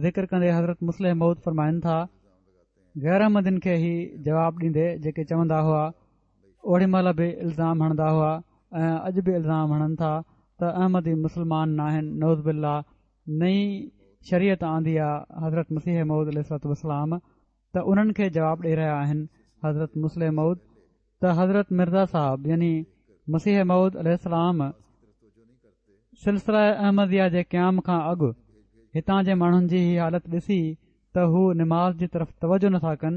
ذڪر ڪندي حضرت مصلح موعود فرمائن ٿا، غير احمدين کي هي جواب ڏيندي جيڪي چوندا هئا، اوڏي مهل به الزام هڻندا هئا ۽ اڄ به الزام هڻن ٿا ته احمدي مسلمان ناهن، نعوذ بالله، نئين شريعت آندي آهي حضرت مسيح موعود عليه الصلوة والسلام. ته انهن کي جواب ڏيئي رهيا آهن حضرت مصلح موعود ته حضرت مرزا صاحب يعني مسيح موعود عليه السلام سلسله احمديه جي قيام کان اڳ هتان جي ماڻهن جي هي حالت ڏسي ته هو نماز جي طرف توجهه نٿا ڪن،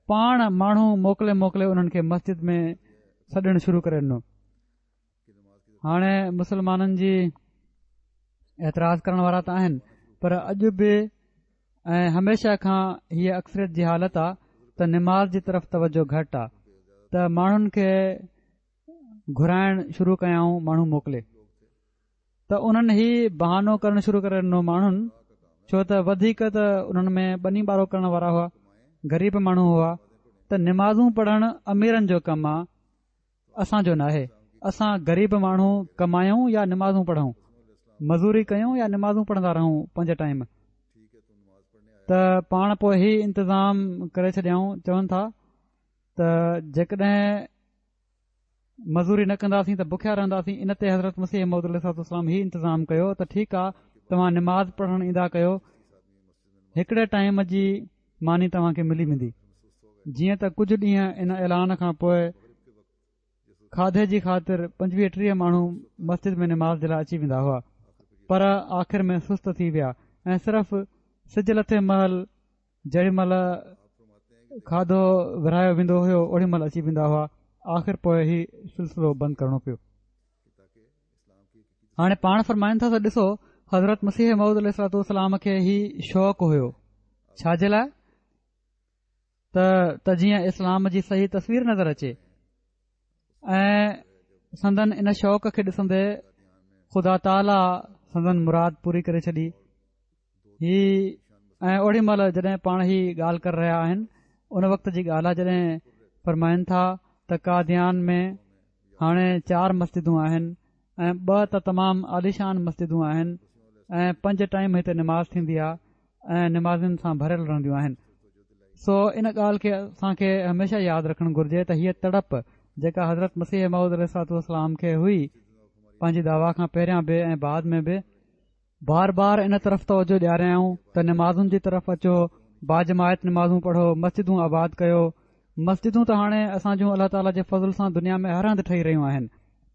پاڻ ماڻهو موڪلي موڪلي انهن کي مسجد ۾ سڏڻ شروع ڪري ڏنو. هاڻي مسلمانن جي اعتراض ڪرڻ وارا ته آهن، پر اڄ به ۽ هميشه کان هيءَ اڪثريت جي حالت آهي ته نماز جي طرف توجهه گهٽ آهي، ته ماڻهن کي گهرائڻ شروع ڪيائون ماڻهو موڪلي، ته انهن هي بهانو ڪرڻ شروع ڪري ڏنو ماڻهن، ڇو ته وڌيڪ ته انهن ۾ ٻني ٻارو ڪرڻ وارا هئا، غريب ماڻهو هئا، ته نمازون پڙهڻ اميرن جو ڪم آهي، اسان جو ناهي. اسان غريب ماڻهو ڪمايون يا نمازون پڙهون، مزوري ڪيون يا نمازون پڙهندا رهون پنج ٽائيم. ته پاڻ پوءِ هي انتظام ڪري ڇڏيائون. چون ٿا ته جيڪڏهن مزوري نه ڪنداسين ته بکيا رهنداسين. ان تي حضرت مسيح موعود عليه الصلوة والسلام هي انتظام ڪيو ته ٺيڪ آهي، توهان نماز پڙهڻ ايندا ڪيو، هڪڙي ٽائيم جي ماني توهان کي ملي ويندي. جيئن ته ڪجهه ڏينهن ان اعلان کان پوءِ کاڌي جي خاطر پنجويهه ٽيهه ماڻهو مسجد ۾ نماز جي لاءِ اچي ويندا هئا، پر آخر ۾ سست ٿي ويا ۽ صرف سج لٿي مهل جيڏي مهل کاڌو ورهايو ويندو هيو اوڏي مهل اچي ويندا هئا. آخر پوءِ هي سلسلو بند ڪرڻو پيو. هاڻي پاڻ فرمائن ٿا ته ڏسو، حضرت مسيح موعود عليه الصلوة والسلام کي هي شوق هيو، ڇا جي لاءِ؟ ته ته جيئن اسلام جي صحيح تصوير نظر اچي. ۽ سندن ان شوق کي ڏسندي خدا تعاليٰ سندن مراد پوري ڪري ڇڏي. هي ۽ اوڏي مهل جڏهن پاڻ هي ڳالهه ڪري رهيا آهن ان وقت جي ڳالهه آهي جڏهن فرمائن ٿا ته قاديان ۾ هاڻي چار مسجدون آهن ۽ ٻه ته تمام عاليشان مسجدون آهن ۽ پنج ٽائيم هتي نماز ٿيندي آهي ۽ نمازين سان ڀريل رهنديون آهن. سو ان ڳالهه کي اسان کي هميشه ياد رکڻ گهرجي ته هيءَ تڙپ جيڪا حضرت مسيح موعود عليه الصلوة والسلام کي هئي پنهنجي دعويٰ کان پهريان به ۽ بعد ۾ به، بار بار ان طرف توجه ڏياريائون ته نمازن جي طرف اچو، باجماعت نمازون پڙهو، مسجدون آباد ڪيو. مسجدون ته هاڻي اسان جون الله تعاليٰ جي فضل سان دنيا ۾ هر هنڌ ٺهي رهيون آهن،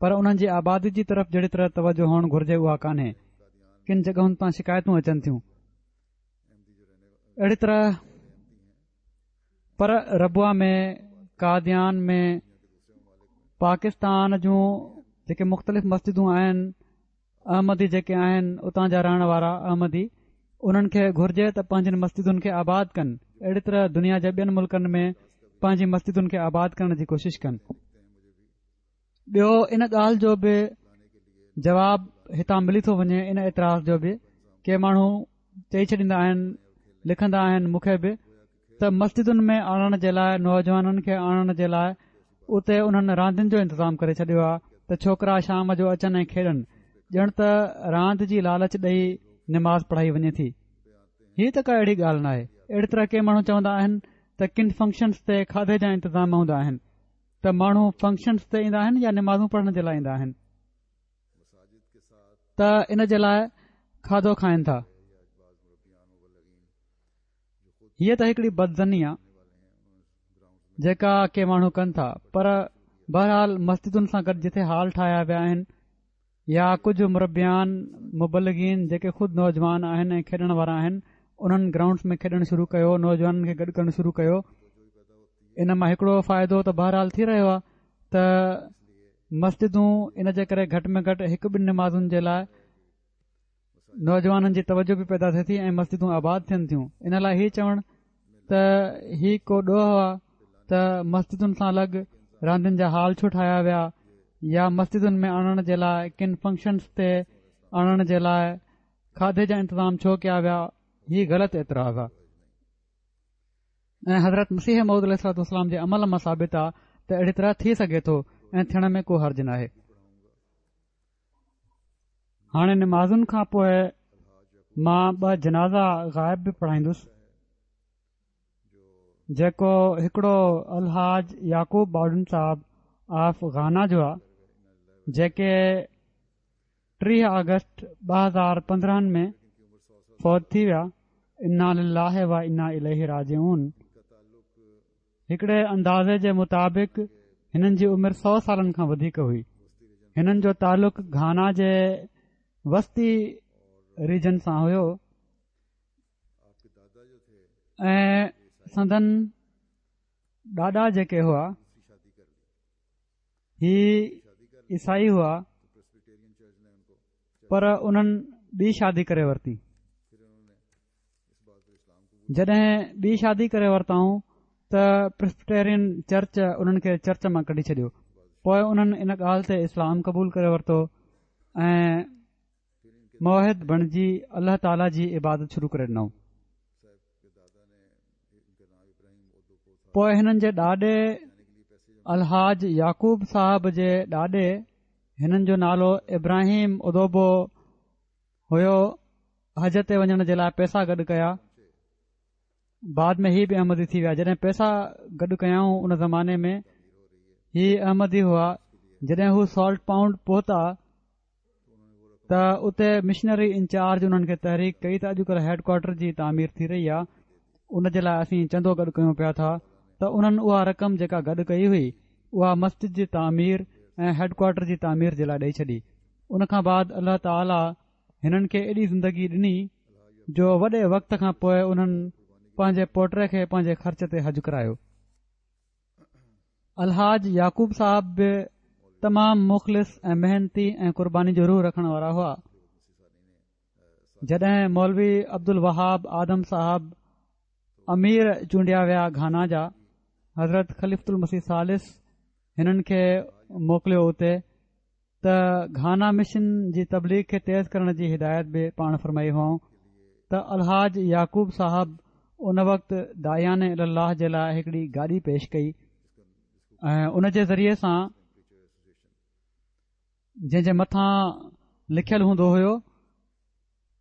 پر انهن جي آبادي جي طرف جهڙي طرح توجه هئڻ گهرجي اها ڪانهي. ڪن جڳهن تان شڪايتون اچن ٿيون اهڙي طرح. پر ربوه ۾، قاديان ۾، پاڪستان جون جيڪي مختلف مسجدون آهن، احمدي جيڪي آهن اتان جا رهڻ وارا احمدي، انهن کي گهرجي ته پنهنجن مسجدن کي آباد ڪن. اهڙي طرح دنيا جي ٻين ملڪن ۾ پنهنجي مسجدن کي آباد ڪرڻ جي ڪوشش ڪن. ٻيو ان ڳالهه جو به جواب هتان ملي ٿو وڃي، ان اعتراض جو به. ڪي ماڻهو چئي ڇڏيندا آهن، لکندا آهن مون کي به، ته مسجدن ۾ آڻڻ جي لاءِ، نوجوانن کي آڻڻ جي لاءِ اتي انهن راندين جو انتظام ڪري ڇڏيو آهي ته ڇوڪرا شام جو اچن ۽ کيڏن، ڄڻ ته راند جي لالچ ڏيئي نماز پڙهائي وڃي ٿي. هيءَ ته ڪا اهڙي ڳالهه نه آهي. اهڙي طرح ڪي ماڻهو چوندا آهن ته ڪن فنڪشنس تي کاڌي جا انتظام هوندا آهن ته ماڻهو فنڪشنس تي ايندا آهن يا نمازون پڙهڻ جي لاءِ ايندا آهن ته ان جي لاءِ کاڌو کائن ٿا. هيءَ ته هڪڙي بدظني آهي جيڪا ڪي ماڻهو ڪن ٿا. پر بهرحال مسجدن سان گڏ جتي هال ٺاهيا ويا آهن يا ڪجهه مربيان مبلغين جيڪي خود نوجوان آهن ۽ کيڏڻ وارا آهن، انهن گرائونڊس ۾ کيڏڻ شروع ڪيو، نوجوانن کي گڏ ڪرڻ شروع ڪيو. ان مان هڪڙو فائدو ته بهرحال ٿي رهيو آهي ته مسجدون ان جي ڪري گهٽ ۾ گهٽ هڪ ٻن نمازن جي لاءِ نوجوانن جي توجه به پيدا ٿئي ٿي ۽ مسجدون آباد ٿين ٿيون. ان لاءِ هيءَ چوڻ ته هي ڪو ڏوهه آهي ته مسجدن سان الڳ راندين جا هال ڇو ٺاهيا ويا يا مسجدن ۾ آڻڻ جي لاءِ ڪن فنڪشنس تي آڻڻ جي لاءِ کاڌي جا انتظام ڇو ڪيا ويا، هيءَ غلط اعتراض آهي. ۽ حضرت مسيح موعود عليه الصلوة والسلام جي عمل مان ثابت آهي ته اهڙي طرح ٿي سگهي ٿو ۽ ٿيڻ ۾ ڪو حرج ناهي. هاڻي نمازن کان پوءِ مان ٻه جنازا غائب به پڙهائيندس، جيڪو هڪڙو الحاج يعقوب باڊن صاحب آف گانا جو آهي، جيڪي ٽيهه آگسٽ ٻه هزار پندرهن ۾ فوت ٿي ويا. انا لله و انا اليه راجعون. هڪڙي اندازي جي مطابق هنن جي عمر سؤ سالن کان وڌيڪ هئي. هنن جو تعلق گهانا جي وستي ريجن سان هيو ۽ سندن ڏاڏا جيڪي هئا هي عيسائي هئا، پر انهن ٻي شادي ڪري ورتي. جڏهن ٻي شادي ڪري ورتائون ته پريسبيٽيرين چرچ انهن کي چرچ مان ڪڍي ڇڏيو. پوءِ انهن ان ڳالهه تي اسلام قبول ڪري ورتو ۽ موحد بڻجي الله تعاليٰ جي عبادت شروع ڪري ڏنائون. پوءِ هنن جي ڏاڏي الحاج يعقوب صاحب جي ڏاڏي، هنن جو نالو ابراهيم ادوبو هيو، حج تي وڃڻ جي لاءِ پئسا گڏ ڪيا. بعد ۾ هي به احمدي ٿي ويا. جڏهن پئسا گڏ ڪيائون ان زماني ۾ هي احمدي هئا. جڏهن هو سالٽ پائونڊ پهتا ته اتي مشنري انچارج انهن کي تحريڪ ڪئي ته اڄڪلهه هيڊ ڪوارٽر جي تعمير ٿي رهي آهي، ان جي لاء اسين چندو گڏ ڪيون پيا ٿا ته انهن اها رقم جيڪا گڏ ڪئي هئي اها مسجد جي تعمير ۽ هيڊ ڪوارٽر جي تعمير جي لاء ڏئي ڇڏي. ان کان بعد الله تعاليٰ هنن کي ايڏي زندگي ڏني جو وڏي وقت کان پوء انهن پنهنجي پوٽي کي پنهنجي خرچ تي حج ڪرايو. الحاج يعقوب صاحب به تمام مخلص ۽ محنتي ۽ قرباني جو روح رکڻ وارا هئا. جڏهن مولوي عبدالوهاب آدم صاحب امير چونڊيا ويا گهانا جا، حضرت خليفة المسيح ثالث هنن کي موڪليو اتي ته گهانا مشن جي تبليغ کي تيز ڪرڻ جي هدايت به پاڻ فرمائي هئائون ته الحاج يعقوب صاحب ان وقت داعيان الي الله جي لاء هڪڙي گاڏي پيش ڪئي ۽ ان جي ذريعي سان جنهن جي مٿان لکيل هوندو هيو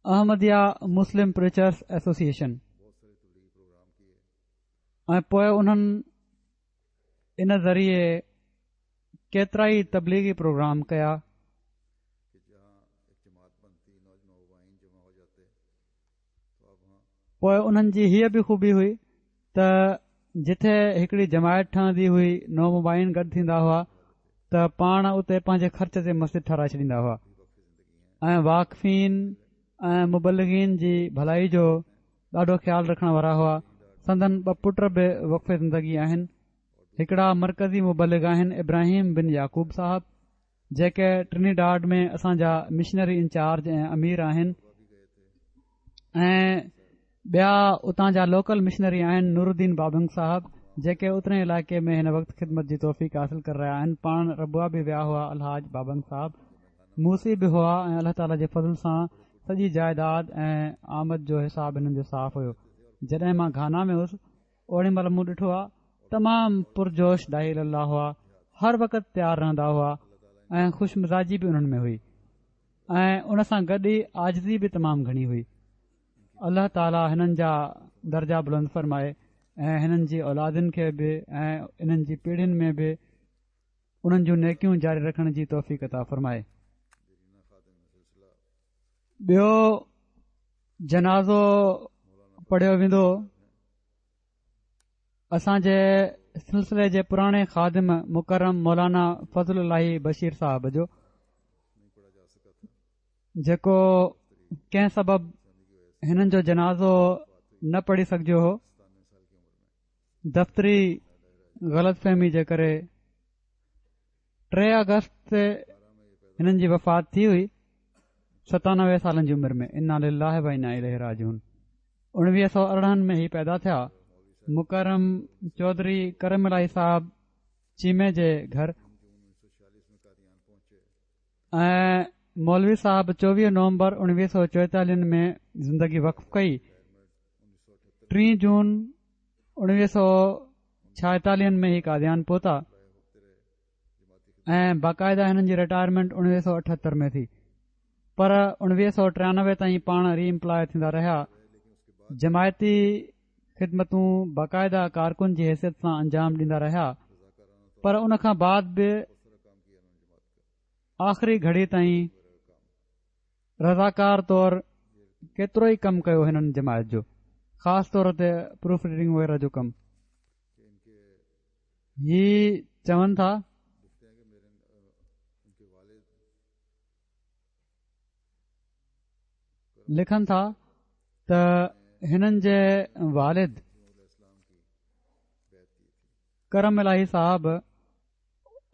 احمديه مسلم پريچرس ايسوسيئيشن ۽ پوء انهن ان ذريعي ڪيترائي تبليغي پروگرام ڪيا. پوء انهن جي هيء به خوبي هئي ته جٿي هڪڙي جماعت ٺهندي هئي، نومبائعين گڏ ٿيندا هئا ته پاڻ اتي پنهنجي خرچ تي مسجد ٺهرائي ڇڏيندا هئا ۽ واقفين ۽ مبلغين جي ڀلائي جو ڏاڍو خيال رکڻ وارا هئا. سندن ٻه پٽ به وقف زندگي آهن. هڪڙا مرڪزي مبلغ آهن ابراهيم بن يعقوب صاحب، جيڪي ٽرنيڊاڊ ۾ اسان جا مشنري انچارج ۽ امير آهن، ۽ ٻيا اتان جا لوڪل مشنري آهن نورالدين بابنگ صاحب، جيڪي اترئين علائقي ۾ هن وقت خدمت جي توفيق حاصل ڪري رهيا آهن. پاڻ ربوه به ويا هئا. الحاج بابنگ صاحب موصي به هئا ۽ الله تعاليٰ جي فضل سان سڄي جائيداد ۽ آمد جو حساب هنن جو صاف هيو. جڏهن مان گهانا ۾ هوس اوڏي مهل مون ڏٺو آ تمام پرجوش داعي الي الله هئا، هر وقت تيار رهندا هئا ۽ خوش مزاجي به انهن ۾ هئي ۽ ان سان گڏ ئي عاجزي به تمام گهڻي هئي. الله تعاليٰ هنن جا درجا بلند فرمائي ۽ هنن جي اولادن کي به ۽ انهن جي پيڙهين ۾ به انهن جون نيڪيون جاري رکڻ جي توفيق عطا فرمائي. ٻيو جنازو پڙهيو ويندو اسان جي سلسلي جي پراڻي خادم مڪرم مولانا فضل الاهي بشير صاحب جو، جيڪو ڪنهن سبب هنن جو جنازو نه پڙهي سگهجيو هو، دفتري غلط فهمي جي ڪري. ٽي آگسٽ تي هنن جي وفات ٿي هئي، ستانوي سالن جي عمر ۾. انا لله و انا اليه راجعون. اڻويهه سؤ ارڙهن ۾ هي پيدا ٿيا. مڪرم چوڌري ڪرم الاهي صاحب چيمي جي گهر ۽ مولوي صاحب چوويهه نومبر اڻويهه سؤ چوئيتاليهن ۾ زندگي وقف ڪئي. ٽي جون اڻويهه سؤ ڇائيتاليهن ۾ هي قاديان پهتا ۽ باقاعده هنن جي رٽائرمينٽ اڻويهه سؤ اٺهتر ۾ ٿي، پر اڻويهه سؤ ٽيانوي تائين پاڻ ري امپلاء ٿيندا رهيا. جماعتي خدمتون باقاعده ڪارڪن جي حيثيت سان انجام ڏيندا رهيا، پر ان کان بعد به آخري گهڙي تائين رضاڪار طور ڪيترو ئي ڪم ڪيو هنن جماعت جو، خاص طور تي پروف ريڊنگ وغيره جو ڪم. هي چون ٿا لکن ٿا ته هنن جي والد ڪرم الاهي صاحب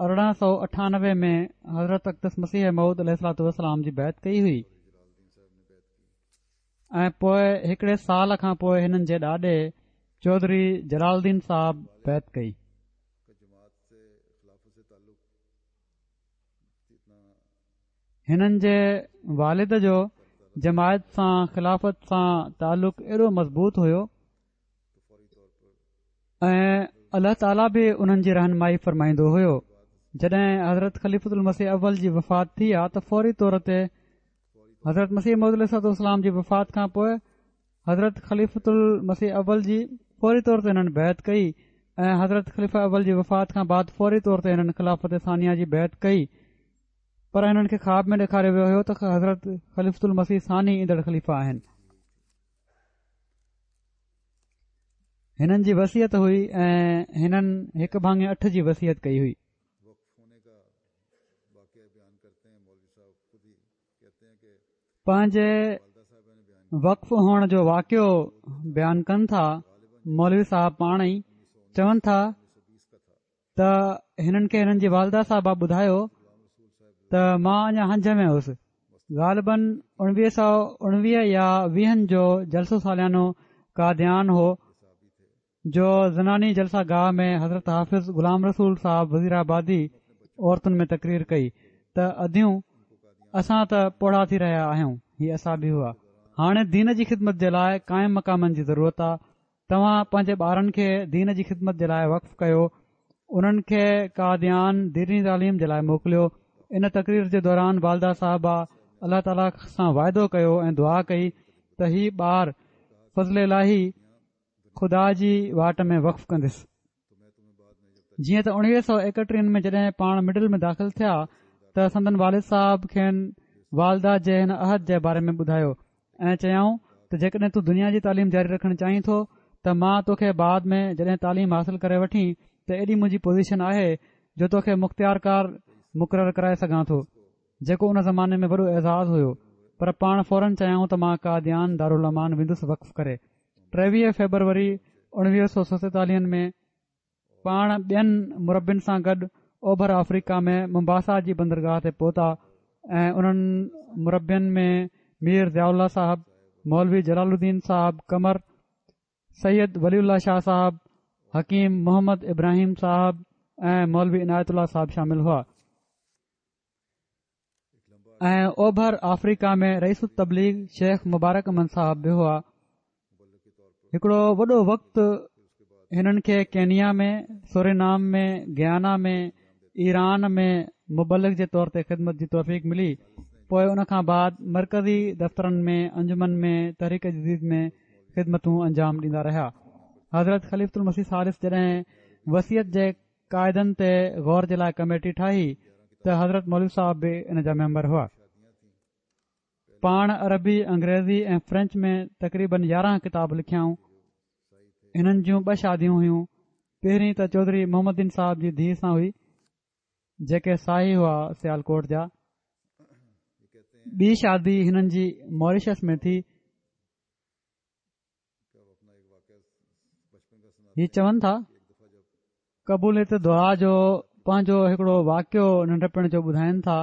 ارڙهن سؤ اٺانوي ۾ حضرت اقدس مسيح موعود عليه الصلوة والسلام جي بيعت ڪئي هئي ۽ پوء هڪڙي سال کان پوء هنن جي ڏاڏي چوڌري جلال الدين صاحب بيعت ڪئي. هنن جي والد جو جماعت سان خلافت سان تعلق ايڏو مضبوط هيو ۽ الله تعاليٰ به انهن جي رهنمائي فرمائيندو هيو. جڏهن حضرت خليفة المسيح اول جي وفات ٿي آ ته فوري طور تي حضرت مسيح موعود عليه الصلوة والسلام جي وفات کان پوء حضرت خليفة المسيح اول جي فوري طور تي هنن بيعت ڪئي ۽ حضرت خليفه اول جي وفات کان بعد فوري طور تي هنن خلافت ثانيه جي بيعت ڪئي، پر هنن کي خواب ۾ ڏيکاريو ويو هيو ته حضرت خليفة المسيح ثاني ايندڙ خليفه آهن. هنن جي وصيت هئي ۽ هنن هڪ ڀاڱي اٺ جي وصيت ڪئي هئي. پنهنجي وقف هئڻ جو واقعو بيان ڪن ٿا. مولوي صاحب پاڻ ئي چون ٿا ته هنن کي هنن جي والده صاحبه ٻڌايو ته مان اڃا هنج ۾ هوس، غالباً اڻويهه سؤ اڻويهه يا ويهن جو جلسو ساليانو قاديان هو، جو زناني جلسه گاهه ۾ حضرت حافظ غلام رسول صاحب وزير آبادي عورتن ۾ تقرير ڪئي ته اديون اسان ته پوڙها ٿي رهيا آهيون، هي اصحابي هئا، هاڻي دين جي خدمت جي لاء قائم مقامن جي ضرورت آ، توهان پنهنجي ٻارن کي دين جي خدمت جي لاء وقف ڪيو، انهن کي قاديان ديني تعليم جي لاء موڪليو. ان تقرير جي دوران والده صاحبه الله تعاليٰ سان واعدو ڪيو ۽ دعا ڪئي ته هي ٻار فضل الاهي خدا جي واٽ ۾ وقف ڪندس. جيئن ته اڻويهه سؤ ايڪٽيهن ۾ جڏهن پاڻ مڊل ۾ داخل ٿيا ته سندن والد صاحب کين والده جي هن عهد جي باري ۾ ٻڌايو ۽ چيائون ته جيڪڏهن تون دنيا جي تعليم جاري رکڻ چاهين ٿو ته مان توکي بعد ۾ جڏهن تعليم حاصل ڪري وٺين ته ايڏي منهنجي پوزيشن آهي جو توکي مختيارڪار مقرر ڪرائي سگهان ٿو، جيڪو ان زماني ۾ وڏو اعزاز هيو. پر پاڻ فورن چيائون ته مان قاديان دارالامان ويندس وقف ڪري. ٽيويهه فيبروري اڻويهه سؤ ستيتاليهن ۾ پاڻ ٻين مربين سان گڏ اوڀر آفريڪا ۾ ممباسا جي بندرگاهه تي پهتا ۽ انهن مربين ۾ مير ضياء الله صاحب، مولوي جلال الدين صاحب قمر، سيد ولي الله شاهه صاحب، حڪيم محمد ابراهيم صاحب ۽ مولوي عنايت الله صاحب شامل هئا. ۽ اوڀر آفريڪا ۾ رئيس التبليغ شيخ مبارڪ احمد صاحب به هئا. هڪڙو وڏو وقت هنن کي ڪينيا ۾، سورينام ۾، گيانا ۾ Iran ۾ مبلغ جي طور تي خدمت جي توفيق ملي. پوءِ ان کان بعد مرڪزي دفترن ۾ انجمن ۾ تحريڪ جديد ۾ خدمتون انجام ڏيندا رهيا. حضرت خليفة المسيح ثالث جڏهن وصيت جي قاعدن تي غور جي لاءِ ڪميٽي ٺاهي ته حضرت مولوي صاحب به ان جا ميمبر هئا. پاڻ عربي، انگريزي ۽ فرينچ ۾ تقريبن يارهن ڪتاب لکيائون. هنن جون ٻه شاديون هيون. پهرين ته چوڌري محمد دين صاحب جي ڌيءَ سان هئي، جيڪي ساهي هئا سيالڪوٽ جا. ٻي شادي هنن جي ماريشس ۾ ٿي. هي چون ٿا قبوليت دعا جو پنهنجو هڪڙو واقعو ننڍپڻ جو ٻڌائين ٿا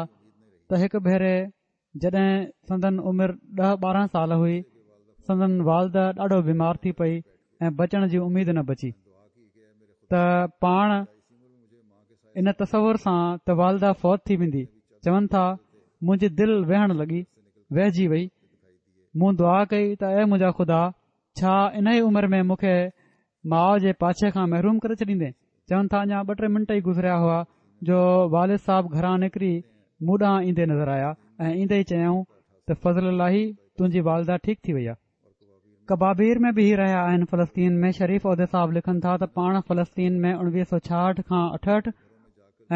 ته هڪ ڀيري جڏهن سندن عمر ڏهه ٻارهن سال هئي، سندن والده ڏاڍو بيمار ٿي پئي ۽ بچڻ جي اميد نه بچي ته پاڻ ان تصور سان ته والده فوت ٿي ويندي، چون ٿا منهنجي دل ويهڻ لڳي، وهجي وئي. مون دعا ڪئي ته اي منهنجا خدا، ڇا ان ئي عمر ۾ مون کي ماءُ جي پاڇي کان محروم ڪري ڇڏيندين؟ چون ٿا اڃا ٻه ٽي منٽ ئي گذريا هئا جو والد صاحب گهران نڪري مون ڏانهن ايندي نظر آيا ۽ ايندي ئي چيائون ته فضل الاهي تنهنجي والده ٺيڪ ٿي وئي آهي. ڪبابير ۾ به هي رهيا آهن. فلسطين ۾ شريف عودي صاحب لکن ٿا ته پاڻ فلسطين ۾ اڻويهه سؤ ڇاهٺ کان اٺهٺ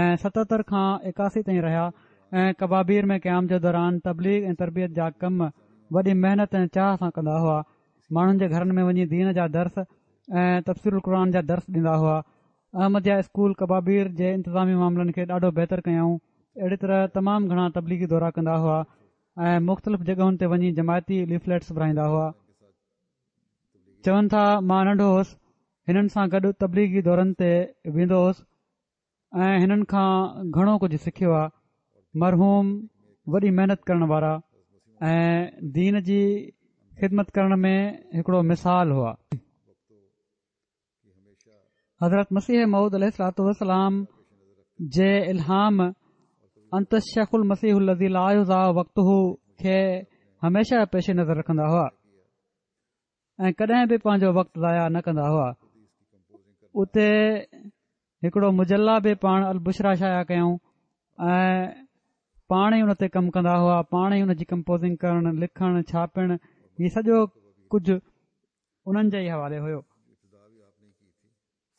۽ ستهتر کان ايڪاسي تائين رهيا ۽ ڪبابير ۾ قيام جي دوران تبليغ ۽ تربيت جا ڪم وڏي محنت ۽ چاهه سان ڪندا هئا. ماڻهن جي گهرن ۾ وڃي دين جا درس ۽ تفسير القرآن جا درس ڏيندا هئا. احمديه اسڪول ڪبابير جي انتظامي معاملن کي ڏاڍو بهتر ڪيائون. اهڙي طرح تمام گهڻا تبليغي دورا ڪندا هئا ۽ مختلف جڳهن تي وڃي جماعتي ليفليٽس ورهائيندا هئا. چون ٿا مان ننڍو هوس، هنن سان گڏ تبليغي دورن تي ويندو هوس ۽ هنن کان گهڻو ڪجهه سکيو آهي. مرحوم وڏي محنت ڪرڻ وارا ۽ دين جي خدمت ڪرڻ ۾ هڪڙو مثال هئا. حضرت مسيح موعود عليه الصلوة والسلام جي الهام انت الشيخ المسيح الذي لا يضاع وقته کي هميشه پيش نظر رکندا هئا ۽ ڪڏهن به پنهنجو وقت ضايع نه ڪندا هئا. اتي هڪڙو مجله به پاڻ البشريٰ شايع ڪيائون ۽ پاڻ ئي ان تي ڪم ڪندا هئا. پاڻ ئي ان جي ڪمپوزنگ ڪرڻ، لکڻ، ڇاپڻ، هي سڄو ڪجهه انهن جي ئي حوالي هيو.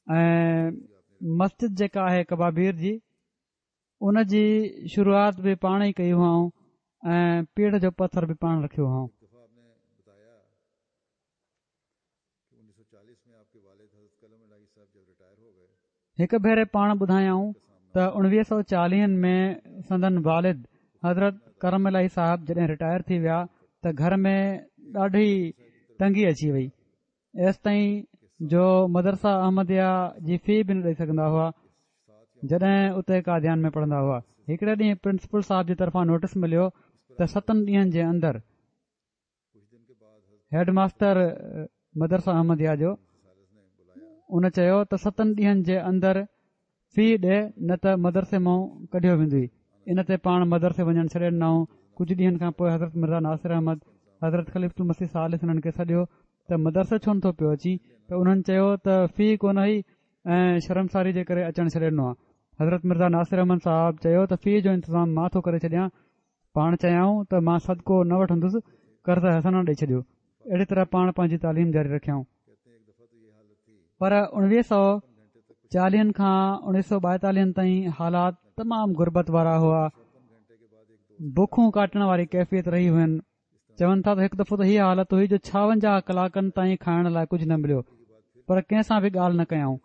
۽ مسجد جيڪا آهي ڪبابير جي، ان جي شروعات به پاڻ ئي ڪئي هئائون ۽ پيڙهه جو پٿر به پاڻ رکيو هئائون. هڪ ڀيري پاڻ ٻڌايائون ته اڻويهه سؤ چاليهن ۾ سندن والد حضرت ڪرم الاهي صاحب جڏهن رٽائر ٿي ويا ته گهر ۾ ڏاڍي تنگي اچي وئي، ايستائين جو مدرسه احمديه جي في به نه ڏئي سگهندا هئا جڏهن اتي قاديان ۾ پڙهندا هئا. هڪڙي ڏينهن پرنسپل صاحب جي طرفان نوٽس مليو ته ستن ڏينهن جي اندر هيڊ ماستر مدرسه احمديه جو ان چيو ته ستن ڏينهن جي اندر في ڏي نه ته مدرسي مان ڪڍيو ويندوئي. ان تي پاڻ مدرسي وڃڻ ڇڏي ڏنائون. ڪجهه ڏينهن کان پوء حضرت مرزا ناصر احمد حضرت خليفة المسيح ثالث انهن کي سڏيو ته مدرسي ڇو نٿو پيو اچين ته انهن چيو ته في ڪونه هئي ۽ شرمساري جي ڪري اچڻ ڇڏي ڏنو آهي. حضرت مرزا ناصر احمد صاحب چيو ته في جو انتظام مان ٿو ڪري ڇڏيان. پاڻ چيائون ته مان صدقو نه وٺندس، قرض حسنه ڏئي ڇڏيو. اهڙي طرح پاڻ پنهنجي تعليم جاري رکيائون. پر اڻويهه سؤ چاليهن کان اڻويهه سؤ ٻائيتاليهن تائين حالات تمام غربت وارا هئا. بکون ڪاٽڻ واري ڪيفيت رهي هئن. چون ٿا ته هڪ دفعو ته هيء حالت هئي جو ڇاونجاهه ڪلاڪن تائين کائڻ لاء ڪجهه نه مليو، پر ڪنهن سان به ڳالهه نه ڪيائون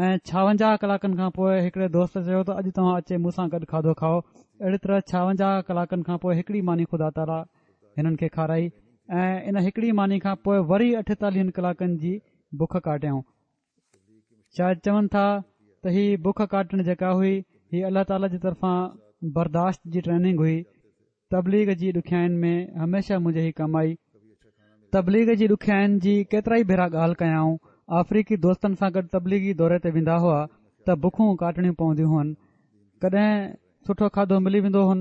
۽ ڇاونجاهه ڪلاڪن کان پوء هڪڙي دوست چيو ته اڄ توهان اچي مون سان گڏ کاڌو کائو. اهڙي طرح ڇاونجاهه ڪلاڪن کان پوء هڪڙي ماني خدا تعاليٰ هنن کي کارائي ۽ ان هڪڙي ماني کان پوء وري اٺيتاليهن ڪلاڪن جي بک ڪاٽيائون. شايد چون ٿا ته هي بک ڪاٽڻ جيڪا هئي هي الله تعاليٰ جي طرفان برداشت جي ٽريننگ هئي. تبليغ جي ڏکيائين ۾ هميشه منهنجي هي ڪم آئي. تبليغ جي ڏکيائين جي ڪيترائي ڀيرا ڳالهه ڪيائون. آفريقي دوستن سان گڏ تبليغي دوري تي ويندا هئا ته بکون ڪاٽڻيون پونديون هئن. ڪڏهن سٺو کاڌو ملي ويندو هن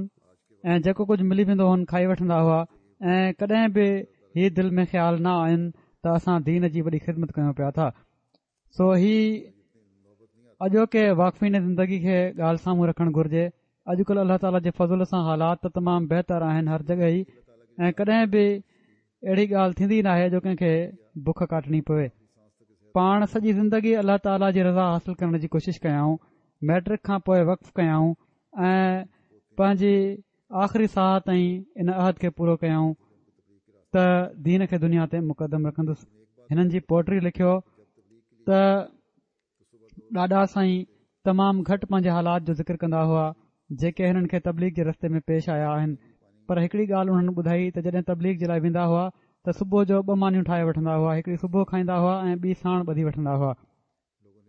۽ جيڪو ڪجهه ملي ويندو هن کائي وٺندا هئا ۽ ڪڏهن به هي دل ۾ خيال نه آين ته اسان دين جي وڏي خدمت ڪيون پيا ٿا. سو هي اڄوڪي واقفين زندگي کي ڳالهه سامهون رکڻ گهرجي. اڄڪلهه الله تعاليٰ جي فضل سان حالات ته تمام بهتر آهن هر جڳهه ئي ۽ ڪڏهن به اهڙي ڳالهه ٿيندي ناهي جو ڪنهن کي بک ڪاٽڻي پوي. پاڻ سڄي زندگي الله تعاليٰ جي رضا حاصل ڪرڻ جي ڪوشش ڪيائون. ميٽرڪ کان پوء وقف ڪيائون ۽ پنهنجي آخري ساهه تائين ان عهد کي پورو ڪيائون ته دين کي دنيا تي مقدم رکندس. هنن جي پوٽي لکيو ته ڏاڏا سائين تمام گهٽ پنهنجي حالات جو ذڪر ڪندا هئا جيڪي هنن کي تبليغ جي رستي ۾ پيش آيا آهن، پر هڪڙي ڳالهه انهن ٻڌائي ته جڏهن تبليغ جي لاء ويندا هئا ته صبح جو ٻه مانيون ٺاهي وٺندا هئا، هڪڙي صبح کائيندا هئا ۽ ٻي ساڻ ٻڌي وٺندا هئا.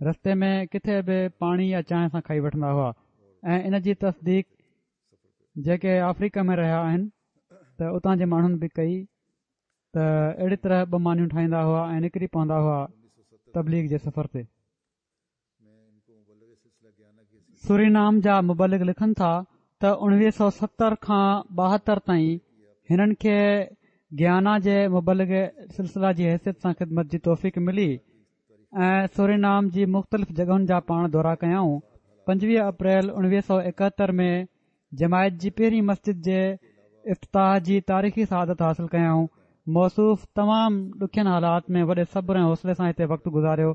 رستي ۾ ڪٿي به پاڻي يا چانهه سان کائي وٺندا هئا ۽ ان جي تصديق جيڪي آفريڪا ۾ رهيا آهن ته اتان جي ماڻهن به ڪئي ته اهڙي طرح ٻه مانيون ٺاهيندا هئا ۽ نڪري پوندا هئا تبليغ جي سفر تي. سورينام جا مبلغ لکن ٿا ته اڻويهه سؤ ستر کان ٻاهتر تائين هنن کي گيانا جي مبلغ سلسله جي حيثيت سان خدمت جي توفيق ملي ۽ سورينام جي مختلف جڳهن جا پاڻ دورا ڪيائون. پنجويهه اپريل اڻويهه سؤ ايڪهتر ۾ جماعت جي پهرين مسجد جي افتتاح جي تاريخي سعادت حاصل ڪيائون. موصوف تمام ڏکين حالات ۾ وڏي صبر ۽ حوصلي سان هتي وقت گذاريو.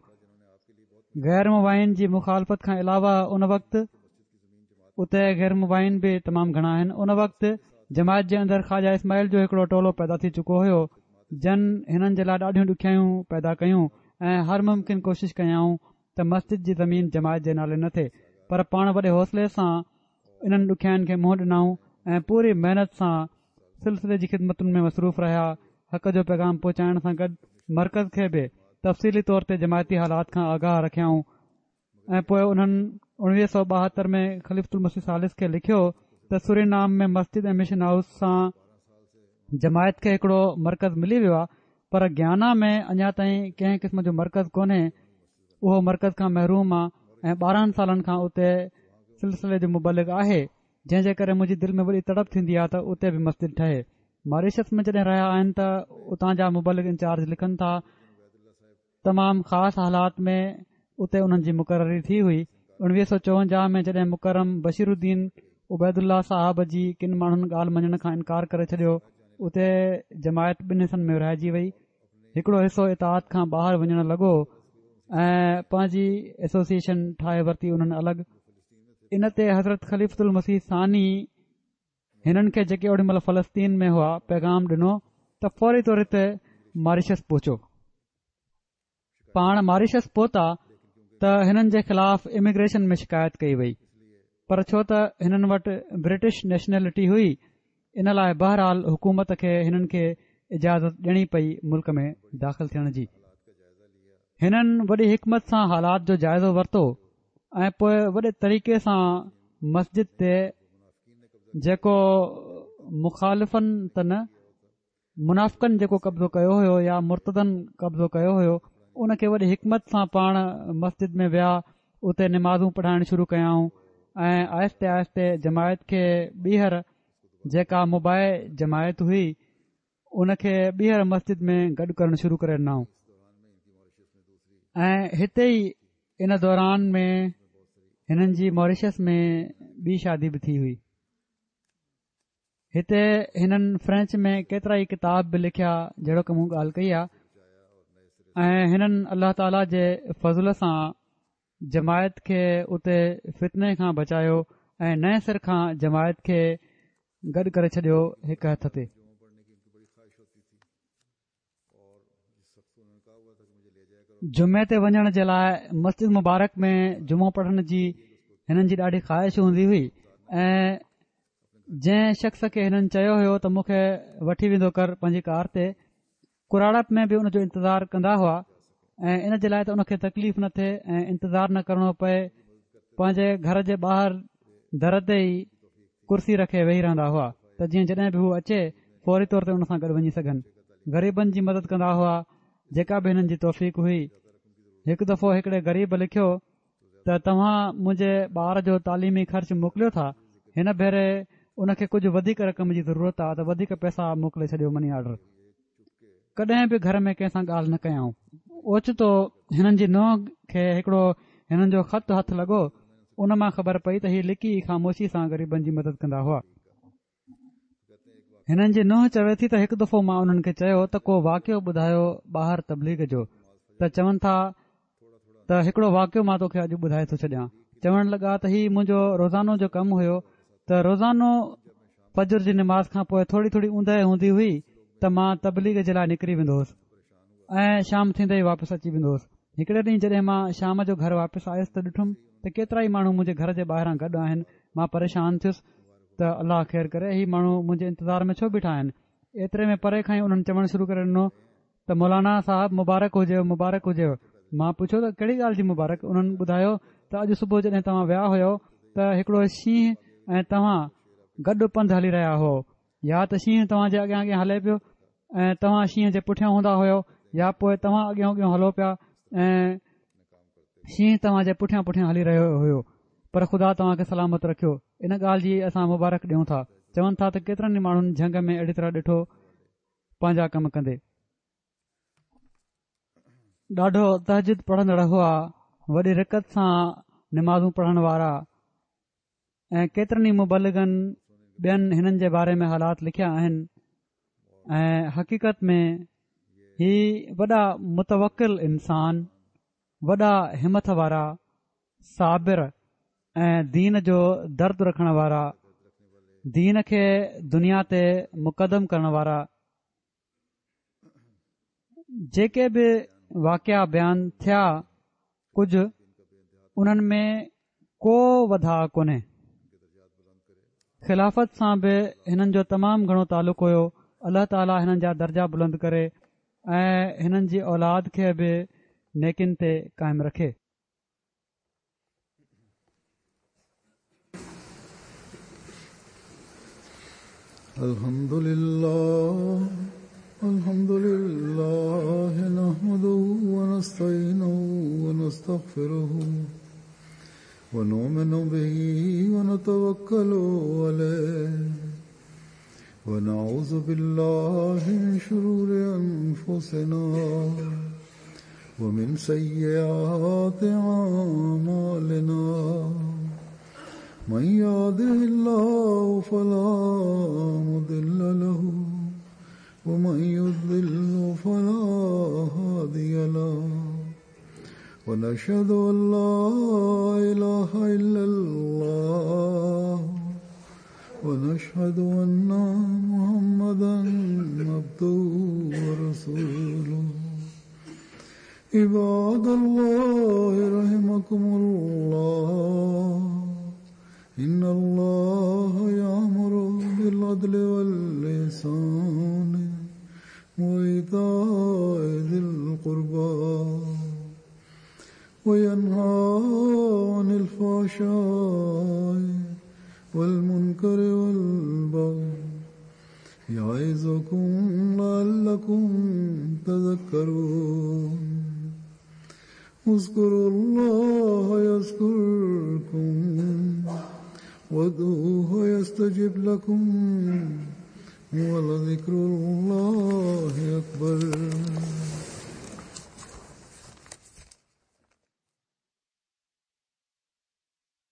غير مبين جي مخالفت کان علاوه ان وقت اتي غير مبين به تمام گهڻا آهن. ان وقت جماعت جي اندر خواجه اسماعيل جو هڪڙو ٽولو پيدا ٿي چڪو هيو جن هنن جي لاء ڏاڍيون ڏکيائيون پيدا ڪيون ۽ هر ممڪن ڪوشش ڪيائون ته مسجد جي زمين جماعت جي نالي نه ٿئي، پر پاڻ وڏي حوصلي سان انهن ڏکيائين کي منهن ڏنائون ۽ پوري محنت سان سلسلي جي خدمتن ۾ مصروف رهيا. حق جو پيغام پهچائڻ سان گڏ مرڪز کي به تفصيلي طور تي جماعتي حالات کان آگاهه رکيائون ۽ پوء انهن اڻويهه سؤ ٻاهتر ۾ خليفة المسيح ثالث کي لکيو ته سورينام ۾ مسجد ۽ مشن هائوس سان جماعت کي هڪڙو مرڪز ملي ويو آهي، پر گيانا ۾ اڃا تائين ڪنهن قسم جو مرڪز ڪونهي، اهو مرڪز کان محروم آهي ۽ ٻارهن سالن کان اتي سلسلي جو مبلغ آهي، جنهن جي ڪري منهنجي دل ۾ وڏي تڙپ ٿيندي آهي ته اتي به مسجد ٺهي. ماريشس ۾ جڏهن رهيا آهن ته اتان جا مبلغ انچارج لکن ٿا تمام خاص حالات ۾ اتي انهن جي مقرري ٿي هئي. اڻويهه سؤ چوونجاهه ۾ جڏهن مڪرم بشير الدين عبيدالله صاحب جي ڪن ماڻهن ڳالهه مڃڻ کان انڪار ڪري ڇڏيو، اتي جماعت ٻن حصن ۾ ورهائجي وئي. هڪڙو حصو اطاعت کان ٻاهر وڃڻ لڳو ۽ پنهنجي ايسوسيئيشن ٺاهي ورتي انهن الڳ. ان تي حضرت خليفة المسيح ثاني هنن کي جيڪي اوڏي مهل فلسطين ۾ هئا پيغام ڏنو ته فوري طور تي ماريشس پهچو. پاڻ ماريشس پهتا ته هنن جي خلاف اميگريشن ۾ شڪايت ڪئي وئي، پر ڇو ته هنن وٽ برٽش نيشنلٽي هئي ان لاء بهرحال حڪومت کي هنن کي اجازت ڏيڻي پئي ملڪ ۾ داخل ٿيڻ جي. هنن وڏي حڪمت سان حالات جو جائزو ورتو ۽ پوء وڏي طريقي سان مسجد تي جيڪو مخالفن ته نه منافقن جيڪو قبضو ڪيو هيو يا مرتدن قبضو ڪيو هيو ان کي وڏي حڪمت سان پاڻ مسجد ۾ ويا، اتي نمازون پڙهائڻ شروع ڪيائون ۽ آهستي آهستي جماعت کي ٻيهر جيڪا مبايع جماعت هئي ان کي ٻيهر مسجد ۾ گڏ ڪرڻ شروع ڪري ڏنائون. ۽ هتي ئي ان دوران ۾ هنن جي ماريشس ۾ ٻي شادي به ٿي هئي. هتي هنن فرينچ ۾ ڪيترا ئي ڪتاب به لکيا جهڙوڪ مون ڳالهه ڪئي آهي، ۽ هنن الله تعاليٰ جي فضل سان جماعت کي اتي فتني کان بچايو ۽ نئين سر کان جماعت کي گڏ ڪري ڇڏيو هڪ هٿ تي. جمعي تي وڃڻ جي لاء مسجد مبارڪ ۾ جمعو پڙهڻ جي هنن جي ڏاڍي خواهش هوندي هئي ۽ جنهن شخص کي هنن چيو هيو ته مون کي وٺي ويندو ڪر پنهنجي ڪار تي، ڪراڙپ ۾ به ان جو انتظار ڪندا هئا ۽ ان جي لاء ته ان کي تڪليف نه ٿئي ۽ انتظار نه ڪرڻو پئي پنهنجي گهر جي ٻاهر در تي ئي ڪرسي رکي ويهي رهندا هئا ته جيئن جڏهن به هو اچي فوري طور تي ان سان گڏ وڃي سگهن. غريبن جي مدد ڪندا هئا جيڪا به هنن جي توفيق هئي. هڪ دفعو هڪڙي غريب لکيو ته توهان منهنجي ٻار جو تعليمي خرچ موڪليو ٿا، هن ڀيري ان کي ڪجهه وڌيڪ رقم جي ضرورت آ ته وڌيڪ پئسا موڪلي ڇڏيو مني آرڊر. ڪڏهن به گهر ۾ ڪنهن سان ڳالهه نه ڪيائون. اوچتو هنن جي نونهن کي هڪڙو هنن جو خط هٿ لڳو، ان مان خبر پئي ته هي لڪي خاموشي سان غريبن جي مدد ڪندا هئا. هنن جي نونهن چوي ٿي ته هڪ دفعو مان انهن کي چيو ته ڪو واقعو ٻڌايو ٻاهر تبليغ جو، ته چون ٿا ته هڪڙو واقعو مان توکي اڄ ٻڌائي ٿو ڇڏيان. چوڻ لڳا ته هي منهنجو روزانو جو ڪم هيو ته روزانو فجر جي نماز کان پوء ٿوري ٿوري اوندهه هوندي هئي ته مان تبليغ جي لاء نڪري ويندو هوس ۽ شام ٿيندي ئي واپس اچي ويندو هوس. هڪڙي ڏينهن جڏهن مان شام جو گهر واپس آيس ته ڏٺم ته ڪيترائي ماڻهو منهنجي گهر جي ٻاهران گڏ آهن. مان پريشان ٿيس ته الله خير ڪري، هي ماڻهو منهنجي انتظار ۾ ڇو بيٺا آهن؟ ايتري ۾ پري کان ئي انهن چوڻ شروع ڪري ڏنو ته مولانا صاحب مبارڪ هجيو، مبارڪ هجيو. مان پڇيو ته ڪهڙي ڳالهه جي مبارڪ؟ انهن ٻڌايو ته اڄ صبح جڏهن توهان ويا هيو ته هڪڙو شينهن ۽ توهان گڏ پنڌ هلي رهيا هئو، يا ته شينهن توهان جي اڳيان اڳيان هلي پيو ۽ توهان شينهن جي پٺيان هوندا هيو، يا پوء توهان اڳيان اڳيان هلو پيا ۽ شينهن توهان جي پٺيان پٺيان هلي رهيو هيو، پر خدا توهان کي سلامت رکيو، ان ڳالهه جي اسان مبارڪ ڏيون ٿا. چون ٿا ته ڪيترن ئي ماڻهن جهنگ ۾ اهڙي طرح ڏٺو پنهنجا ڪم ڪندي. ڏاڍو تهجد پڙهندڙ هئا، وڏي رقت سان نمازون پڙهڻ وارا ۽ ڪيترن ئي مبلغن ٻين هنن جي باري ۾ حالات لکيا آهن ۽ حقيقت ۾ هي وڏا متوڪل انسان، وڏا همٿ وارا، صابر ۽ دين جو درد رکڻ وارا، دين کي دنيا تي مقدم ڪرڻ وارا، جيڪي به واقعا بيان ٿيا ڪجهه انهن ۾ ڪو وڌاء ڪونهي. خلافت سان به هنن جو تمام گهڻو تعلق هيو. الله تعاليٰ هنن جا درجا بلند ڪري ۽ هنن جي اولاد کي به نيڪين تي قائم رکي. الحمد لله الحمد لله نحمده ونستعينه ونستغفره ونؤمن به ونتوكل عليه ونعوذ بالله من شرور أنفسنا ومن سيئات أعمالنا من يهده الله فلا مضل له ومن يضلل فلا هادي له ونشهد أن لا إله إلا الله ونشهد أن محمدا عبده ورسوله. عباد الله رحمكم الله إن الله يأمر بالعدل والإحسان وإيتاء ذي القربى وينهى عن الفحشاء والمنكر والبغي يعظكم لعلكم تذكرون. اذكروا الله يذكركم وادعوه يستجب لكم ولذكر الله أكبر.